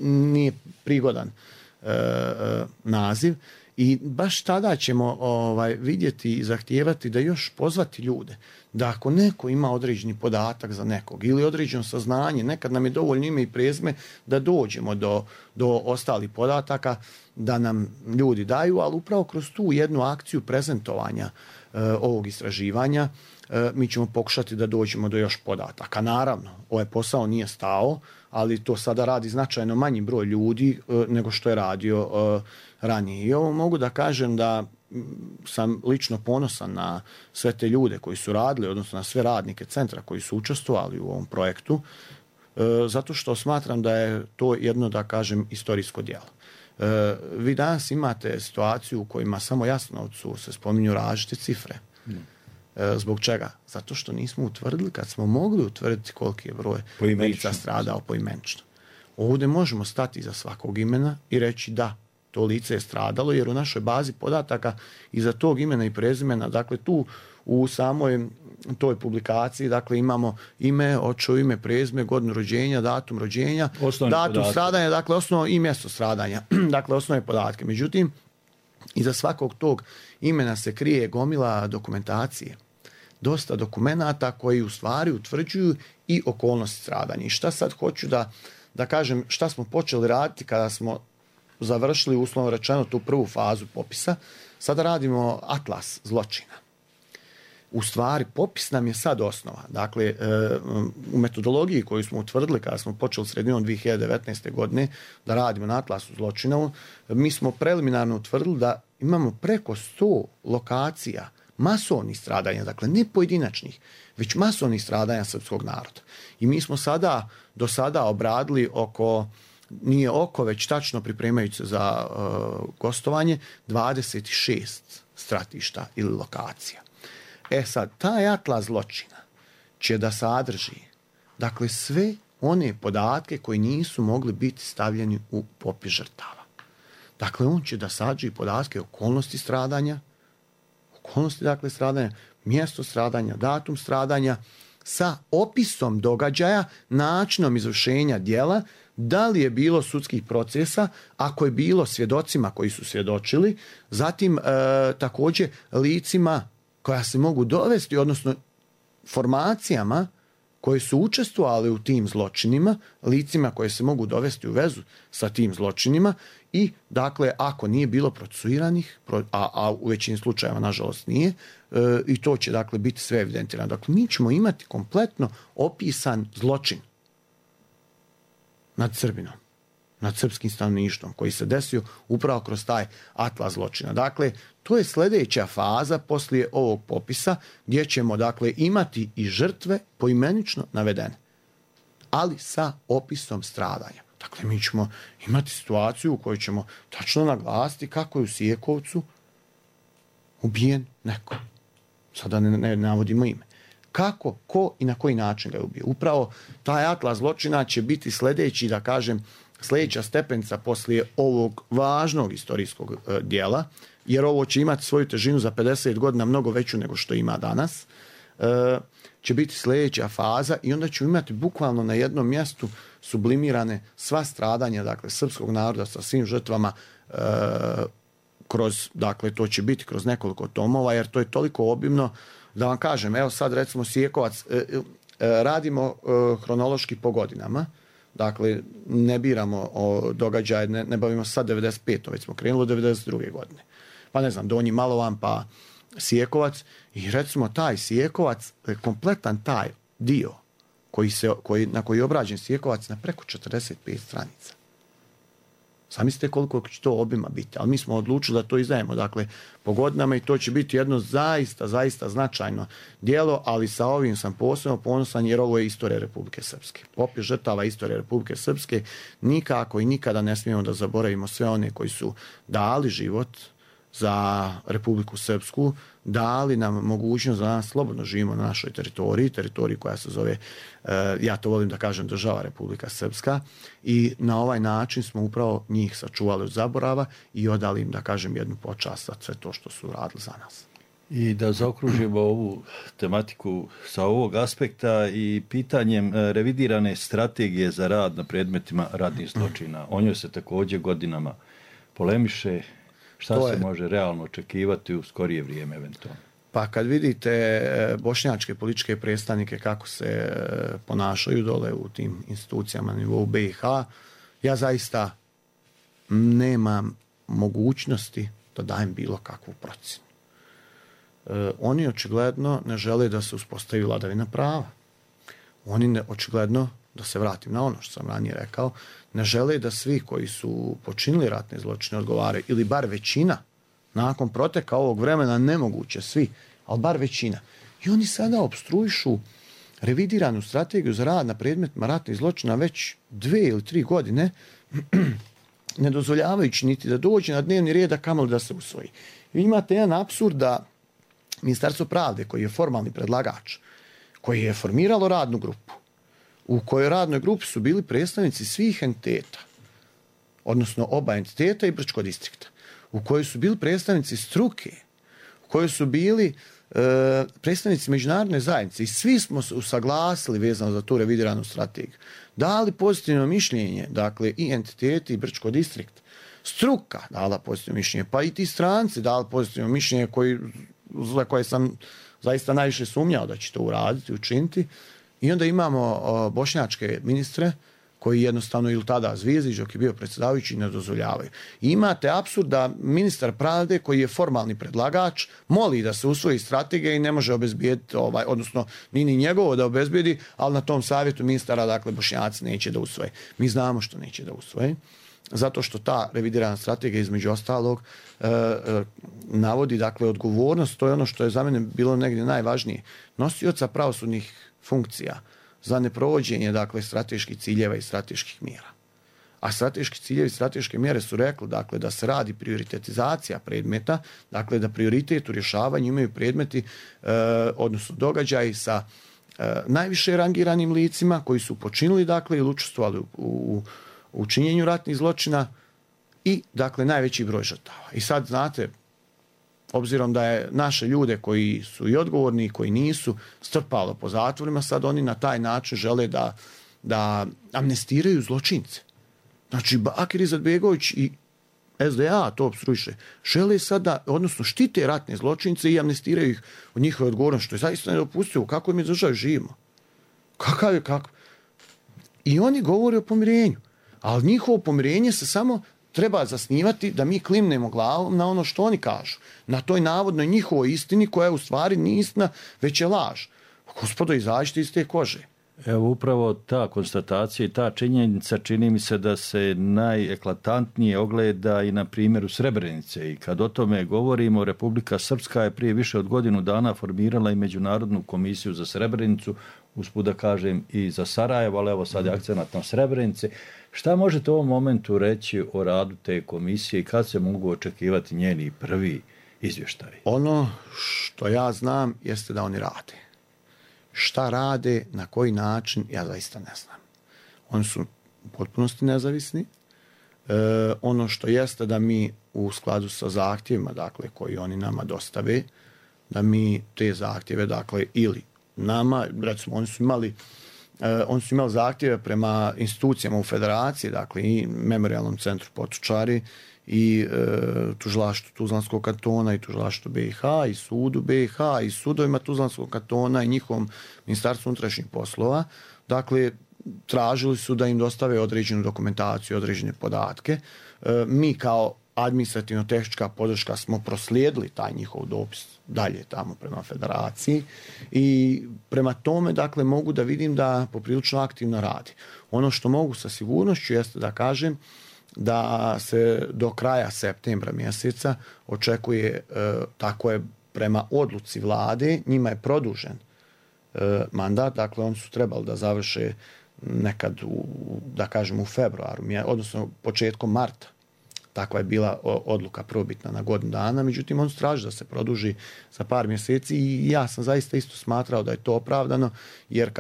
nije prigodan naziv i baš tada ćemo vidjeti i zahtijevati da još pozvati ljude da ako neko ima određeni podatak za nekog ili određeno saznanje, nekad nam je dovoljno ime i prezime da dođemo do ostalih podataka da nam ljudi daju, ali upravo kroz tu jednu akciju prezentovanja ovog istraživanja mi ćemo pokušati da dođemo do još podataka. Naravno, ovaj posao nije stao, ali to sada radi značajno manji broj ljudi nego što je radio ranije. I ovo mogu da kažem da sam lično ponosan na sve te ljude koji su radili, odnosno na sve radnike centra koji su učestvovali u ovom projektu, zato što smatram da je to jedno, da kažem, istorijsko djelo. Vi danas imate situaciju u kojima samo Jasenovcu se spominju različite cifre. Zbog čega? Zato što nismo utvrdili, kad smo mogli utvrditi koliki je broj lica stradao poimenično. Ovdje možemo stati iza svakog imena i reći da, to lice je stradalo, jer u našoj bazi podataka iza tog imena i prezimena, dakle tu u samoj toj publikaciji, dakle imamo ime, očevo ime, prezime, godinu rođenja, datum rođenja, datum stradanja, dakle osnovno i mjesto stradanja, dakle osnovne podatke. Međutim, iza svakog tog imena se krije gomila dokumentacije. Dosta dokumenata koji u stvari utvrđuju i okolnosti stradanja. I šta sad hoću da kažem, šta smo počeli raditi kada smo završili, uslovno rečeno, tu prvu fazu popisa. Sada radimo atlas zločina. U stvari, popis nam je sad osnova. Dakle, u metodologiji koju smo utvrdili kada smo počeli sredinom 2019. godine da radimo na atlasu zločina, mi smo preliminarno utvrdili da imamo preko 100 lokacija masovnih stradanja, dakle ne pojedinačnih, već masovnih stradanja srpskog naroda. I mi smo do sada obradili već tačno pripremajući se za gostovanje, 26 stratišta ili lokacija. Sad, taj atlas zločina će da sadrži, dakle, sve one podatke koji nisu mogli biti stavljeni u popis žrtava. Dakle, on će da sadrži podatke okolnosti stradanja, mjesto stradanja, datum stradanja, sa opisom događaja, načinom izvršenja djela, da li je bilo sudskih procesa, ako je bilo svjedocima koji su svjedočili, zatim također licima koja se mogu dovesti, odnosno formacijama koje su učestvovali u tim zločinima, licima koje se mogu dovesti u vezu sa tim zločinima i, dakle, ako nije bilo procesuiranih, a u većini slučajeva, nažalost, nije, i to će, dakle, biti sve evidentirano. Dakle, mi ćemo imati kompletno opisan zločin nad Srbinom, nad srpskim stanovništvom koji se desio upravo kroz taj atlas zločina. Dakle, to je sljedeća faza poslije ovog popisa gdje ćemo, dakle, imati i žrtve poimenično navedene, ali sa opisom stradanja. Dakle, mi ćemo imati situaciju u kojoj ćemo tačno naglasiti kako je u Sijekovcu ubijen neko. Sada ne navodimo ime. Kako, ko i na koji način ga je ubio. Upravo taj atlas zločina će biti sljedeća stepenica poslije ovog važnog historijskog dijela, jer ovo će imati svoju težinu za 50 godina mnogo veću nego što ima danas, će biti sljedeća faza i onda ću imati bukvalno na jednom mjestu sublimirane sva stradanja, dakle, srpskog naroda sa svim žrtvama to će biti kroz nekoliko tomova, jer to je toliko obimno. Da vam kažem, evo sad recimo Sijekovac, radimo hronološki po godinama, dakle ne biramo događaje, ne bavimo sad 95. već smo krenuli 92. godine. Pa ne znam, Donji Malovan, pa Sijekovac i recimo taj Sijekovac, kompletan taj dio na koji je obrađen Sijekovac na preko 45 stranica. Zamislite koliko će to obima biti, ali mi smo odlučili da to izdajemo, dakle, po godinama i to će biti jedno zaista značajno djelo, ali sa ovim sam posebno ponosan jer ovo je istorija Republike Srpske. Popis žrtava istorije Republike Srpske, nikako i nikada ne smijemo da zaboravimo sve one koji su dali život za Republiku Srpsku, dali nam mogućnost da nas slobodno živimo na našoj teritoriji koja se zove, ja to volim da kažem, država Republika Srpska, i na ovaj način smo upravo njih sačuvali od zaborava i odali im, da kažem, jednu počast za sve to što su radili za nas. I da zaokružimo ovu tematiku sa ovog aspekta i pitanjem revidirane strategije za rad na predmetima ratnih zločina. O njoj se također godinama polemiše. Šta se može realno očekivati u skorije vrijeme eventualno? Pa kad vidite bošnjačke političke predstavnike kako se ponašaju dole u tim institucijama na nivou BiH, ja zaista nemam mogućnosti da dajem bilo kakvu procjenu. Oni očigledno ne žele da se uspostavi vladavina prava. Oni očigledno, da se vratim na ono što sam ranije rekao, ne žele da svi koji su počinili ratne zločine odgovaraju, ili bar većina, nakon proteka ovog vremena, nemoguće svi, ali bar većina. I oni sada opstruišu revidiranu strategiju za rad na predmetima ratnih zločina već 2 ili 3 godine, ne dozvoljavajući niti da dođe na dnevni red, a kamoli da se usvoji. Vi imate jedan apsurd da Ministarstvo pravde, koji je formalni predlagač, koji je formiralo radnu grupu, u kojoj radnoj grupi su bili predstavnici svih entiteta, odnosno oba entiteta i Brčkog distrikta, u kojoj su bili predstavnici struke, u kojoj su bili predstavnici međunarodne zajednice i svi smo se usaglasili vezano za tu revidiranu strategiju. Dali pozitivno mišljenje, dakle i entiteti i Brčkog distrikt, struka dala pozitivno mišljenje, pa i ti stranci dali pozitivno mišljenje za koje sam zaista najviše sumnjao da će to uraditi, učiniti. I onda imamo bošnjačke ministre koji jednostavno, ili tada Zvijezdić dok je bio predsjedavajući, ne dozvoljavaju. I imate apsurd da ministar pravde, koji je formalni predlagač, moli da se usvoji strategija i ne može obezbijediti, odnosno ni njegovo da obezbijedi, ali na tom savjetu ministara, dakle, Bošnjaci neće da usvoje. Mi znamo što neće da usvoje. zato što ta revidirana strategija između ostalog navodi dakle odgovornost, to je ono što je za mene bilo negdje najvažnije, nosioca pravosudnih funkcija za neprovođenje dakle strateških ciljeva i strateških mjera. A strateški ciljevi i strateške mjere su rekli dakle da se radi prioritetizacija predmeta, dakle da prioritet u rješavanju imaju predmeti odnosno događaji sa najviše rangiranim licima koji su počinili dakle ili učestvovali u činjenju ratnih zločina i dakle najveći broj žrtava. I sad znate, obzirom da je naše ljude koji su i odgovorni i koji nisu strpalo po zatvorima, sad oni na taj način žele da amnestiraju zločince. Znači Bakir Izetbegović i SDA to opstruiše. Žele sada, odnosno štite ratne zločince i amnestiraju ih od njihove odgovornosti, što je zaista nedopustivo. Kako mi državi živimo? Kakav? I oni govore o pomirenju. Ali njihovo pomirenje se samo treba zasnivati da mi klimnemo glavom na ono što oni kažu. Na toj navodnoj njihovoj istini koja u stvari nije istina, već je laž. Gospodo, izađite iz te kože. Evo upravo ta konstatacija i ta činjenica čini mi se da se najeklatantnije ogleda i na primjeru Srebrenice. I kad o tome govorimo, Republika Srpska je prije više od godinu dana formirala i Međunarodnu komisiju za Srebrenicu, usput da kažem i za Sarajevo, ali evo sad je akcenat na Srebrenici. Šta možete u ovom momentu reći o radu te komisije i kad se mogu očekivati njeni prvi izvještaji? Ono što ja znam jeste da oni rade. Šta rade, na koji način, ja zaista ne znam. Oni su u potpunosti nezavisni. Ono što jeste da mi u skladu sa zahtjevima, dakle, koji oni nama dostave, da mi te zahtjeve, dakle, ili nama, recimo, oni su imali zahtjeve prema institucijama u federaciji, dakle, i Memorijalnom centru Potočari, i tužilaštvu Tuzlanskog kantona i tužilaštvu BiH i sudu BiH i sudovima Tuzlanskog kantona i njihovom Ministarstvu unutrašnjih poslova. Dakle, tražili su da im dostave određenu dokumentaciju, određene podatke. Mi kao administrativno-tehnička podrška smo proslijedili taj njihov dopis dalje tamo prema federaciji i prema tome, dakle, mogu da vidim da poprilično aktivno radi. Ono što mogu sa sigurnošću jeste da kažem da se do kraja septembra mjeseca očekuje, tako je prema odluci vlade, njima je produžen mandat, dakle oni su trebali da završe nekad da kažem u februaru, odnosno početkom marta. Takva je bila odluka probitna na godinu dana, međutim on traži da se produži za par mjeseci i ja sam zaista isto smatrao da je to opravdano, jer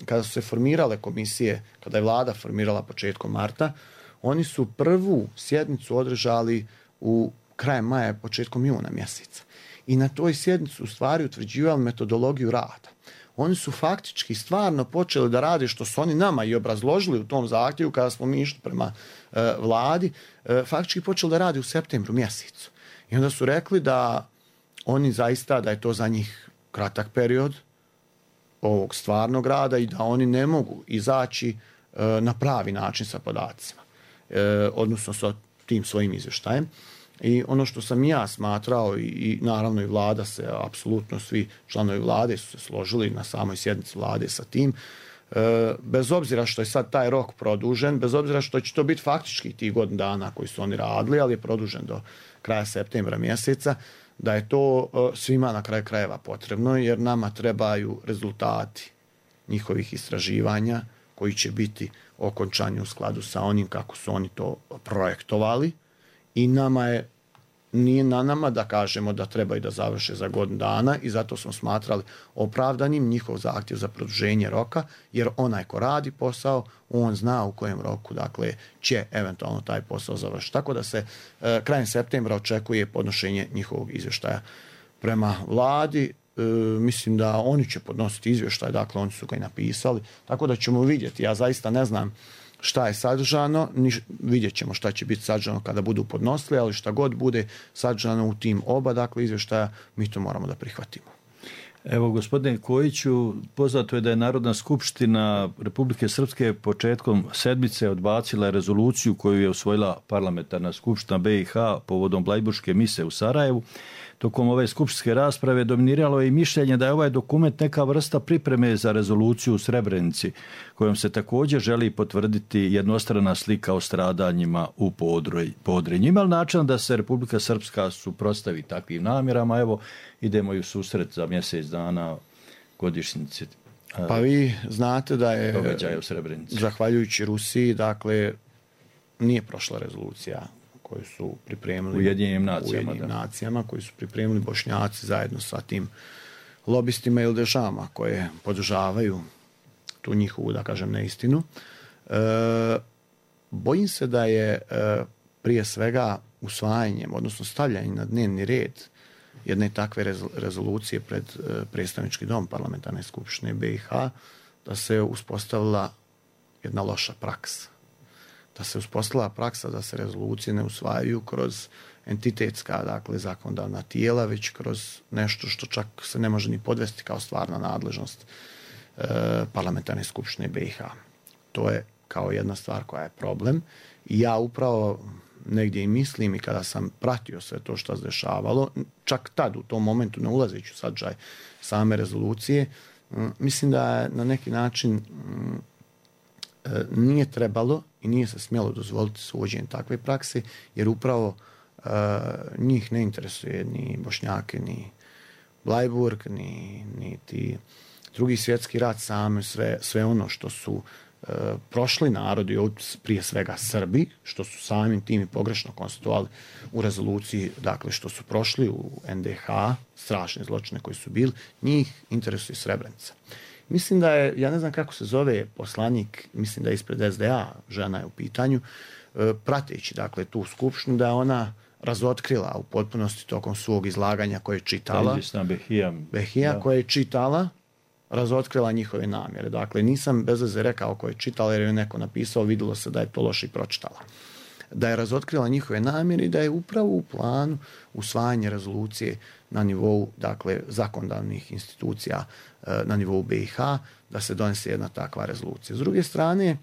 kada su se formirale komisije, kada je vlada formirala početkom marta, oni su prvu sjednicu održali u krajem maja, početkom juna mjeseca. I na toj sjednici u stvari utvrđivali metodologiju rada. Oni su faktički stvarno počeli da rade što su oni nama i obrazložili u tom zahtjevu kada smo mi išli prema vladi, faktički počeli da rade u septembru mjesecu. I onda su rekli da oni zaista, da je to za njih kratak period ovog stvarnog rada i da oni ne mogu izaći na pravi način sa podacima, odnosno sa tim svojim izvještajem. I ono što sam ja smatrao i naravno i vlada se, apsolutno svi članovi vlade su se složili na samoj sjednici vlade sa tim, bez obzira što je sad taj rok produžen, bez obzira što će to biti faktički tih godinu dana koji su oni radili, ali je produžen do kraja septembra mjeseca, da je to svima na kraju krajeva potrebno, jer nama trebaju rezultati njihovih istraživanja koji će biti okončani u skladu sa onim kako su oni to projektovali. I nije na nama da kažemo da trebaju da završe za godinu dana i zato smo smatrali opravdanim njihov zahtjev za produženje roka, jer onaj ko radi posao, on zna u kojem roku, dakle, će eventualno taj posao završiti. Tako da se krajem septembra očekuje podnošenje njihovog izvještaja prema vladi. Mislim da oni će podnositi izvještaj, dakle oni su ga i napisali, tako da ćemo vidjeti. Ja zaista ne znam šta je sadržano, vidjet ćemo šta će biti sadržano kada budu podnosili, ali šta god bude sadržano u tim oba, dakle, izvještaja, mi to moramo da prihvatimo. Evo, gospodine Kojiću, poznato je da je Narodna skupština Republike Srpske početkom sedmice odbacila rezoluciju koju je usvojila parlamentarna skupština BiH povodom Blajburške mise u Sarajevu. Tokom ove skupštinske rasprave dominiralo je i mišljenje da je ovaj dokument neka vrsta pripreme za rezoluciju u Srebrenici, kojom se također želi potvrditi jednostrana slika o stradanjima u Podrinju. Ima li način da se Republika Srpska suprotstavi takvim namjerama? Evo, idemo i u susret za mjesec dana godišnjice. Pa vi znate da je događaja u Srebrenici. Zahvaljujući Rusiji, dakle, nije prošla rezolucija koju su pripremili Ujedinjenim nacijama, koji su pripremili Bošnjaci zajedno sa tim lobistima ili državama koje podržavaju tu njihovu, da kažem, neistinu. Bojim se da je prije svega usvajanjem, odnosno stavljanjem na dnevni red jedne takve rezolucije pred predstavnički dom parlamentarne skupštine BiH, da se uspostavila jedna loša praksa. Da se uspostavila praksa da se rezolucije ne usvajaju kroz entitetska, dakle, zakonodavna tijela, već kroz nešto što čak se ne može ni podvesti kao stvarna nadležnost parlamentarne skupštine BiH. To je kao jedna stvar koja je problem. I ja upravo negdje i mislim, i kada sam pratio sve to što se dešavalo, čak tad u tom momentu, ne ulazeći u sadržaj same rezolucije, mislim da je na neki način nije trebalo i nije se smjelo dozvoliti uvođenje takve prakse, jer upravo njih ne interesuje ni Bošnjake, ni Blajburg, ni ti Drugi svjetski rat, same sve ono što su prošli narodi, prije svega Srbi, što su samim tim i pogrešno konstatovali u rezoluciji, dakle što su prošli u NDH, strašne zločine koji su bili, njih interesuje Srebrenica. Mislim da je, ja ne znam kako se zove poslanik, mislim da je ispred SDA, žena je u pitanju, prateći, dakle, tu skupštinu, da je ona razotkrila u potpunosti tokom svog izlaganja koje je čitala, Behija koja je čitala, razotkrila njihove namjere. Dakle, nisam bez veze rekao ko je čitala, jer je neko napisao, vidjelo se da je to loše i pročitala. Da je razotkrila njihove namjere i da je upravo u planu usvajanje rezolucije na nivou, dakle, zakonodavnih institucija na nivou BiH, da se donese jedna takva rezolucija. S druge strane,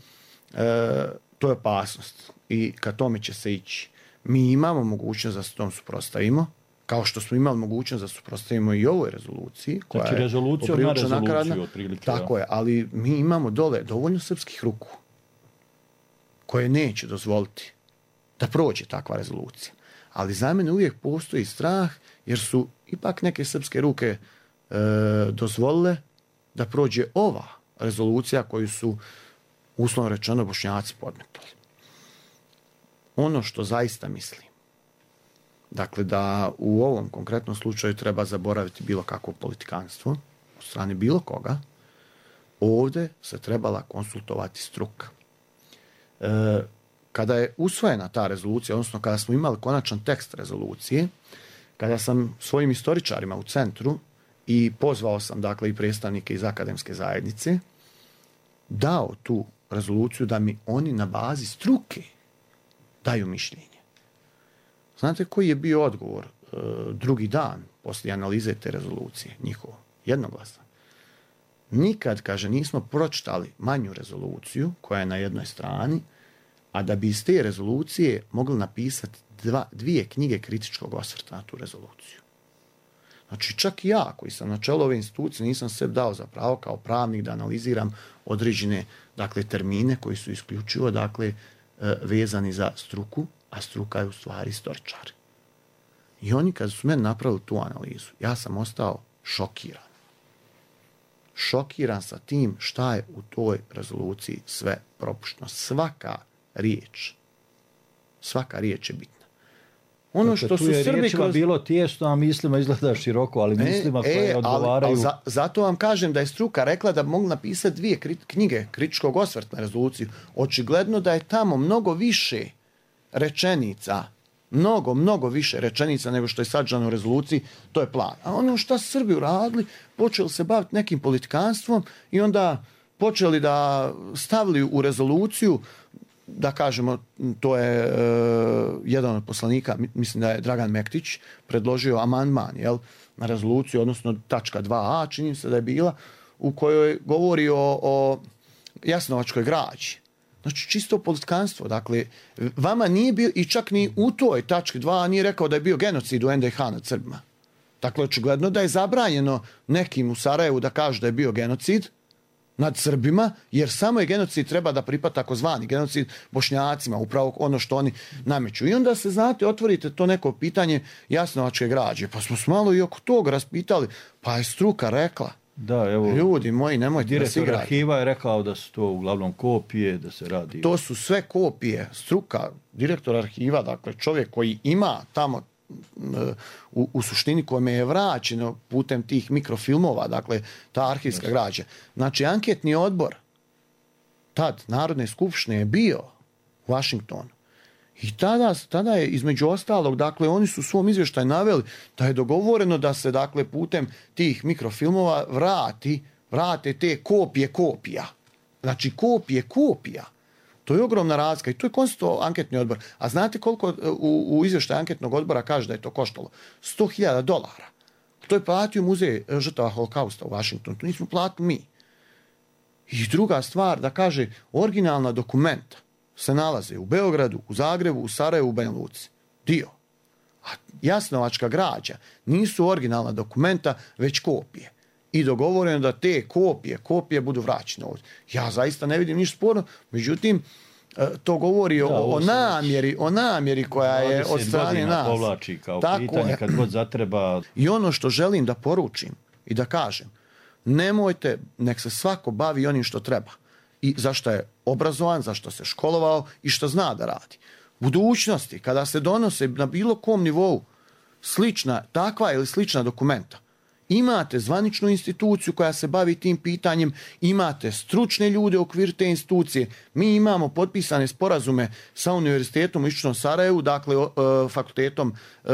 to je opasnost i ka tome će se ići. Mi imamo mogućnost da se tom suprotstavimo, kao što smo imali mogućnost da suprotstavimo i ovoj rezoluciji, koja znači, rezoluciju je na rezoluciju otprilike. Tako je, ali mi imamo dole dovoljno srpskih ruku koje neće dozvoliti da prođe takva rezolucija. Ali za mene uvijek postoji strah, jer su ipak neke srpske ruke dozvolile da prođe ova rezolucija koju su, uslovno rečeno, Bošnjaci podmetali. Ono što zaista mislim, dakle, da u ovom konkretnom slučaju treba zaboraviti bilo kakvo politikanstvo od strane bilo koga, ovdje se trebala konsultovati struka. Kada je usvojena ta rezolucija, odnosno kada smo imali konačan tekst rezolucije, kada sam svojim istoričarima u centru i pozvao sam, dakle, i predstavnike iz akademske zajednice, dao tu rezoluciju da mi oni na bazi struke daju mišljenje. Znate koji je bio odgovor drugi dan poslije analize te rezolucije, njihovo, jednoglasno? Nikad, kaže, nismo pročitali manju rezoluciju koja je na jednoj strani, a da bi iz te rezolucije mogli napisati dvije knjige kritičkog osvrta na tu rezoluciju. Znači, čak i ja, koji sam na čelu ove institucije, nisam sebi dao za pravo kao pravnik da analiziram određene, dakle, termine koji su isključivo, dakle, vezani za struku, a struka je u stvari istoričar. I oni kad su meni napravili tu analizu, ja sam ostao šokiran. Šokiran sa tim šta je u toj rezoluciji sve propušteno. Svaka riječ je bitna. Ono dakle, što tu su je Srbi riječima bilo tijesno, a mislima izgleda široko, ali mislima koje odgovaraju... Zato vam kažem da je struka rekla da mogu napisati dvije knjige kritičkog osvrta na rezoluciju. Očigledno da je tamo mnogo više rečenica, mnogo više rečenica nego što je sadržano u rezoluciji, to je plan. A ono što su Srbi uradili, počeli se baviti nekim politikanstvom i onda počeli da stavili u rezoluciju, da kažemo, to je jedan od poslanika, mislim da je Dragan Mektić, predložio amandman, na rezoluciju, odnosno tačka 2a, čini se da je bila, u kojoj govori o jasnovačkoj građi. Znači, čisto politikanstvo. Dakle, vama nije bio, i čak ni u toj tački 2 nije rekao da je bio genocid u NDH nad Srbima. Dakle, očigledno da je zabranjeno nekim u Sarajevu da kaže da je bio genocid nad Srbima, jer samo je genocid treba da pripada takozvani genocid Bošnjacima, upravo ono što oni nameću. I onda se, znate, otvorite to neko pitanje jasnovačke građe, pa smo se malo i oko toga raspitali, pa je struka rekla. Da, evo, ljudi moji, nemojte da se igrati. Direktor arhiva je rekao da su to uglavnom kopije, da se radi... To su sve kopije. Struka, direktor arhiva, dakle čovjek koji ima tamo u suštini kojome je vraćeno putem tih mikrofilmova, dakle ta arhivska građa. Znači, anketni odbor tad Narodne skupštine je bio u Washingtonu. I tada je između ostalog, dakle, oni su u svom izvještaju naveli da je dogovoreno da se, dakle, putem tih mikrofilmova vrate te kopije kopija. Znači, kopije kopija. To je ogromna razlika i to je konstatovao anketni odbor. A znate koliko u izvještaju anketnog odbora kaže da je to koštalo? $100.000. To je platio muzej žrtava holokausta u Washingtonu. To nismo platili mi. I druga stvar, da kaže, originalna dokumenta se nalaze u Beogradu, u Zagrebu, u Sarajevu, u Banja Luci. Dio. A jasnovačka građa nisu originalna dokumenta, već kopije. I dogovoreno da te kopije budu vraćene ovdje. Ja zaista ne vidim ništa sporno, međutim, to govori o namjeri koja je od strane nas. Povlači kao pitanje kad god zatreba. I ono što želim da poručim i da kažem, nemojte, nek se svako bavi onim što treba. I zašto je obrazovan, zašto se školovao i što zna da radi. Budućnosti, kada se donose na bilo kom nivou takva ili slična dokumenta, imate zvaničnu instituciju koja se bavi tim pitanjem, imate stručne ljude u okviru te institucije. Mi imamo potpisane sporazume sa Univerzitetom u Istočnom Sarajevu, dakle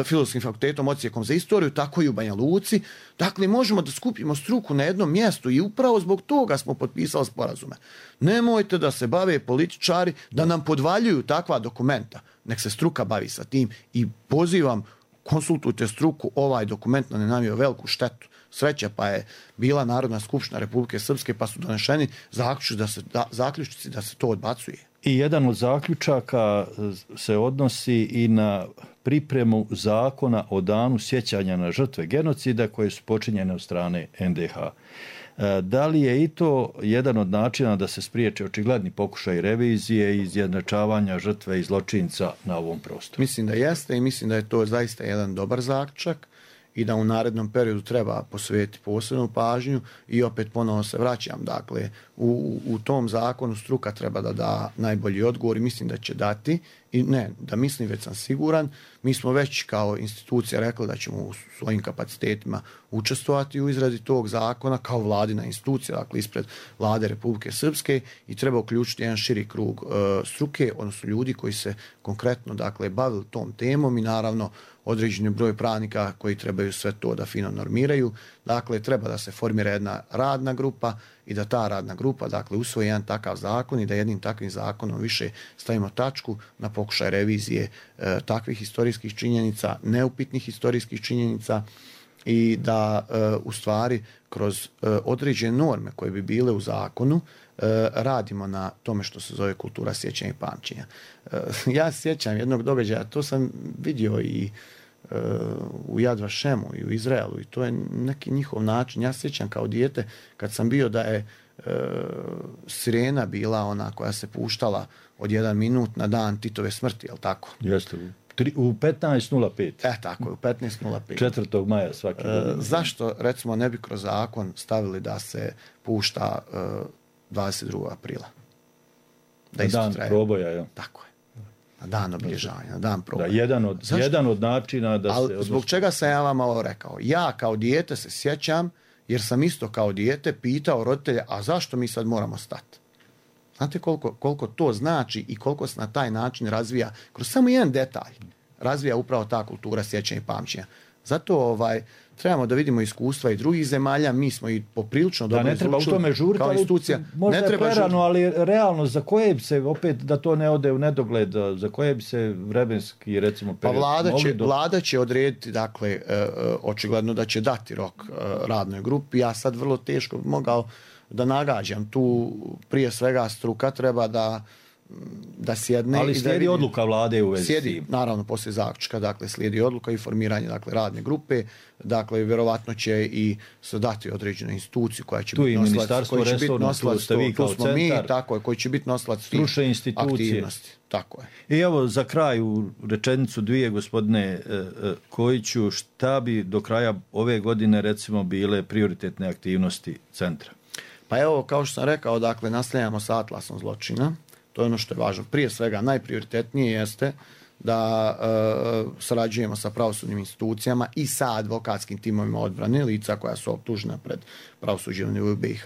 Filozofskim fakultetom, odsjekom za istoriju, tako i u Banja Luci. Dakle, možemo da skupimo struku na jednom mjestu i upravo zbog toga smo potpisali sporazume. Nemojte da se bave političari, da nam podvaljuju takva dokumenta. Nek se struka bavi sa tim i pozivam, konsultujte struku, ovaj dokument nam je nanio veliku štetu. Sreća pa je bila Narodna skupština Republike Srpske pa su donešeni zaključci da se to odbacuje. I jedan od zaključaka se odnosi i na pripremu zakona o danu sjećanja na žrtve genocida koje su počinjene od strane NDH. Da li je i to jedan od načina da se spriječe očigledni pokušaj revizije i izjednačavanja žrtve i zločinca na ovom prostoru? Mislim da jeste i mislim da je to zaista jedan dobar zaključak i da u narednom periodu treba posvetiti posebnu pažnju i opet ponovno se vraćam. Dakle, u tom zakonu struka treba da da najbolji odgovor i mislim da će dati. I ne, da mislim, već sam siguran. Mi smo već kao institucija rekli da ćemo u svojim kapacitetima učestvovati u izradi tog zakona kao vladina institucija, dakle ispred Vlade Republike Srpske i treba uključiti jedan širi krug struke, odnosno ljudi koji se konkretno, dakle, bavili tom temom i naravno određeni broj pravnika koji trebaju sve to da fino normiraju. Dakle, treba da se formira jedna radna grupa i da ta radna grupa, dakle, usvoji jedan takav zakon i da jednim takvim zakonom više stavimo tačku na pokušaj revizije takvih historijskih činjenica, neupitnih historijskih činjenica i da u stvari kroz određene norme koje bi bile u zakonu radimo na tome što se zove kultura sjećanja i pamćenja. Ja sjećam jednog događaja, to sam vidio i u Yad Vashemu i u Izraelu i to je neki njihov način. Ja sjećam kao dijete kad sam bio da je sirena bila ona koja se puštala od 1 minut na dan Titove smrti, je li tako? Jeste, u 15.05. Tako je, u 15.05. 4. maja svake godine. Zašto, recimo, ne bi kroz zakon stavili da se pušta 22. aprila? Da dan proboja, je. Tako je. Na dan obilježavanja, na dan proboja. Da, jedan od načina da se... Ali zbog čega sam ja vam ovo rekao? Ja kao dijete se sjećam, jer sam isto kao dijete pitao roditelja, a zašto mi sad moramo stati? Znate koliko to znači i koliko se na taj način razvija, kroz samo jedan detalj, razvija upravo ta kultura sjećanja i pamćenja. Zato trebamo da vidimo iskustva i drugih zemalja, mi smo i poprilično dobro izučili. Da, ne treba u tome žuriti, ali možda je prerano, ali realno, za koje bi se, opet da to ne ode u nedogled, za koje bi se vremenski, recimo, period... Pa vlada će odrediti, dakle, očigledno da će dati rok radnoj grupi. Ja sad vrlo teško mogao da nagađam. Tu prije svega struka treba da da sjedne. Ali slijedi odluka vlade u vezi s tim. Naravno, poslije zaključka, dakle, slijedi odluka i formiranje, dakle, radne grupe, dakle, vjerovatno će i se dati određenu instituciju koja će biti nosilac, koji će biti nosilac, tu smo mi, tako je, koji će biti nosilac stručne institucije. Aktivnosti. Tako je. I evo, za kraj, u rečenicu dvije, gospodine Kojiću, šta bi do kraja ove godine, recimo, bile prioritetne aktivnosti centra? Pa evo, kao što sam rekao, dakle, nastavljamo sa atlasom zločina. To je ono što je važno. Prije svega, najprioritetnije jeste da sarađujemo sa pravosudnim institucijama i sa advokatskim timovima odbrane, lica koja su optužena pred pravosuđem u BiH,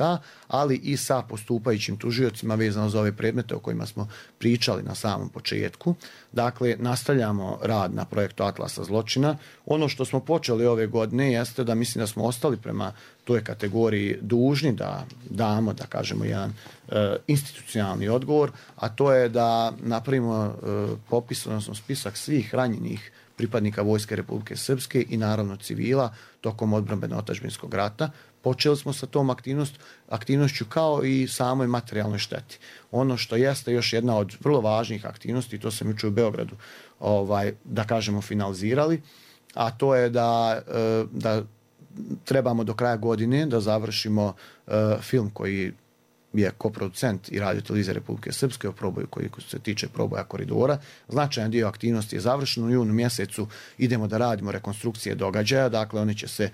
ali i sa postupajućim tužiocima vezano za ove predmete o kojima smo pričali na samom početku. Dakle, nastavljamo rad na projektu Atlasa zločina. Ono što smo počeli ove godine jeste da mislim da smo ostali prema toj kategoriji dužni da damo, da kažemo, jedan institucionalni odgovor, a to je da napravimo popis, odnosno spisak svih ranjenih pripadnika Vojske Republike Srpske i naravno civila tokom odbrambeno-otadžbinskog rata. Počeli smo sa tom aktivnošću kao i samoj materijalnoj šteti. Ono što jeste još jedna od vrlo važnih aktivnosti, to sam jučer u Beogradu da kažemo finalizirali, a to je da trebamo do kraja godine da završimo film koji je koproducent i Radio-televizija Republike Srpske o proboju koji se tiče proboja koridora. Značajan dio aktivnosti je završen. U junu mjesecu idemo da radimo rekonstrukcije događaja, dakle one će se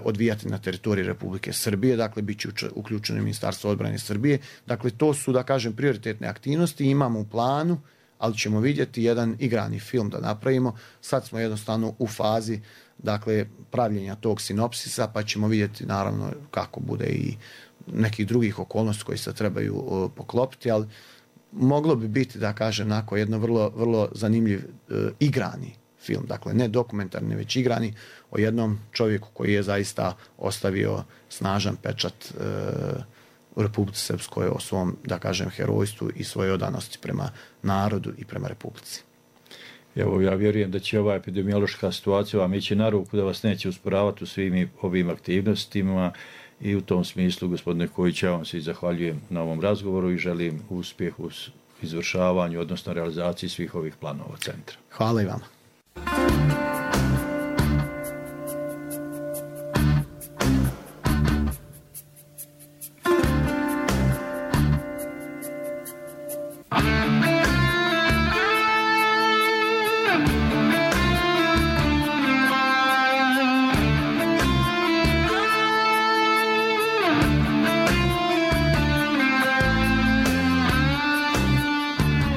odvijati na teritoriji Republike Srbije, dakle bit će uključeno Ministarstvo odbrane Srbije. Dakle, to su, da kažem, prioritetne aktivnosti, imamo u planu, ali ćemo vidjeti jedan igrani film da napravimo. Sad smo jednostavno u fazi, dakle, pravljenja tog sinopsisa, pa ćemo vidjeti naravno kako bude i nekih drugih okolnosti koji se trebaju poklopiti, ali moglo bi biti, da kažem, nakon jedno vrlo, vrlo zanimljiv igrani film, dakle ne dokumentarni, već igrani, o jednom čovjeku koji je zaista ostavio snažan pečat u Republici Srpskoj o svom, da kažem, herojstvu i svojoj odanosti prema narodu i prema Republici. Evo, ja vjerujem da će ova epidemiološka situacija vam ići na ruku, da vas neće usporavati u svim ovim aktivnostima. I u tom smislu, gospodine Kojić, ja vam se i zahvaljujem na ovom razgovoru i želim uspjeh u izvršavanju, odnosno realizaciji svih ovih planova centra. Hvala i vama.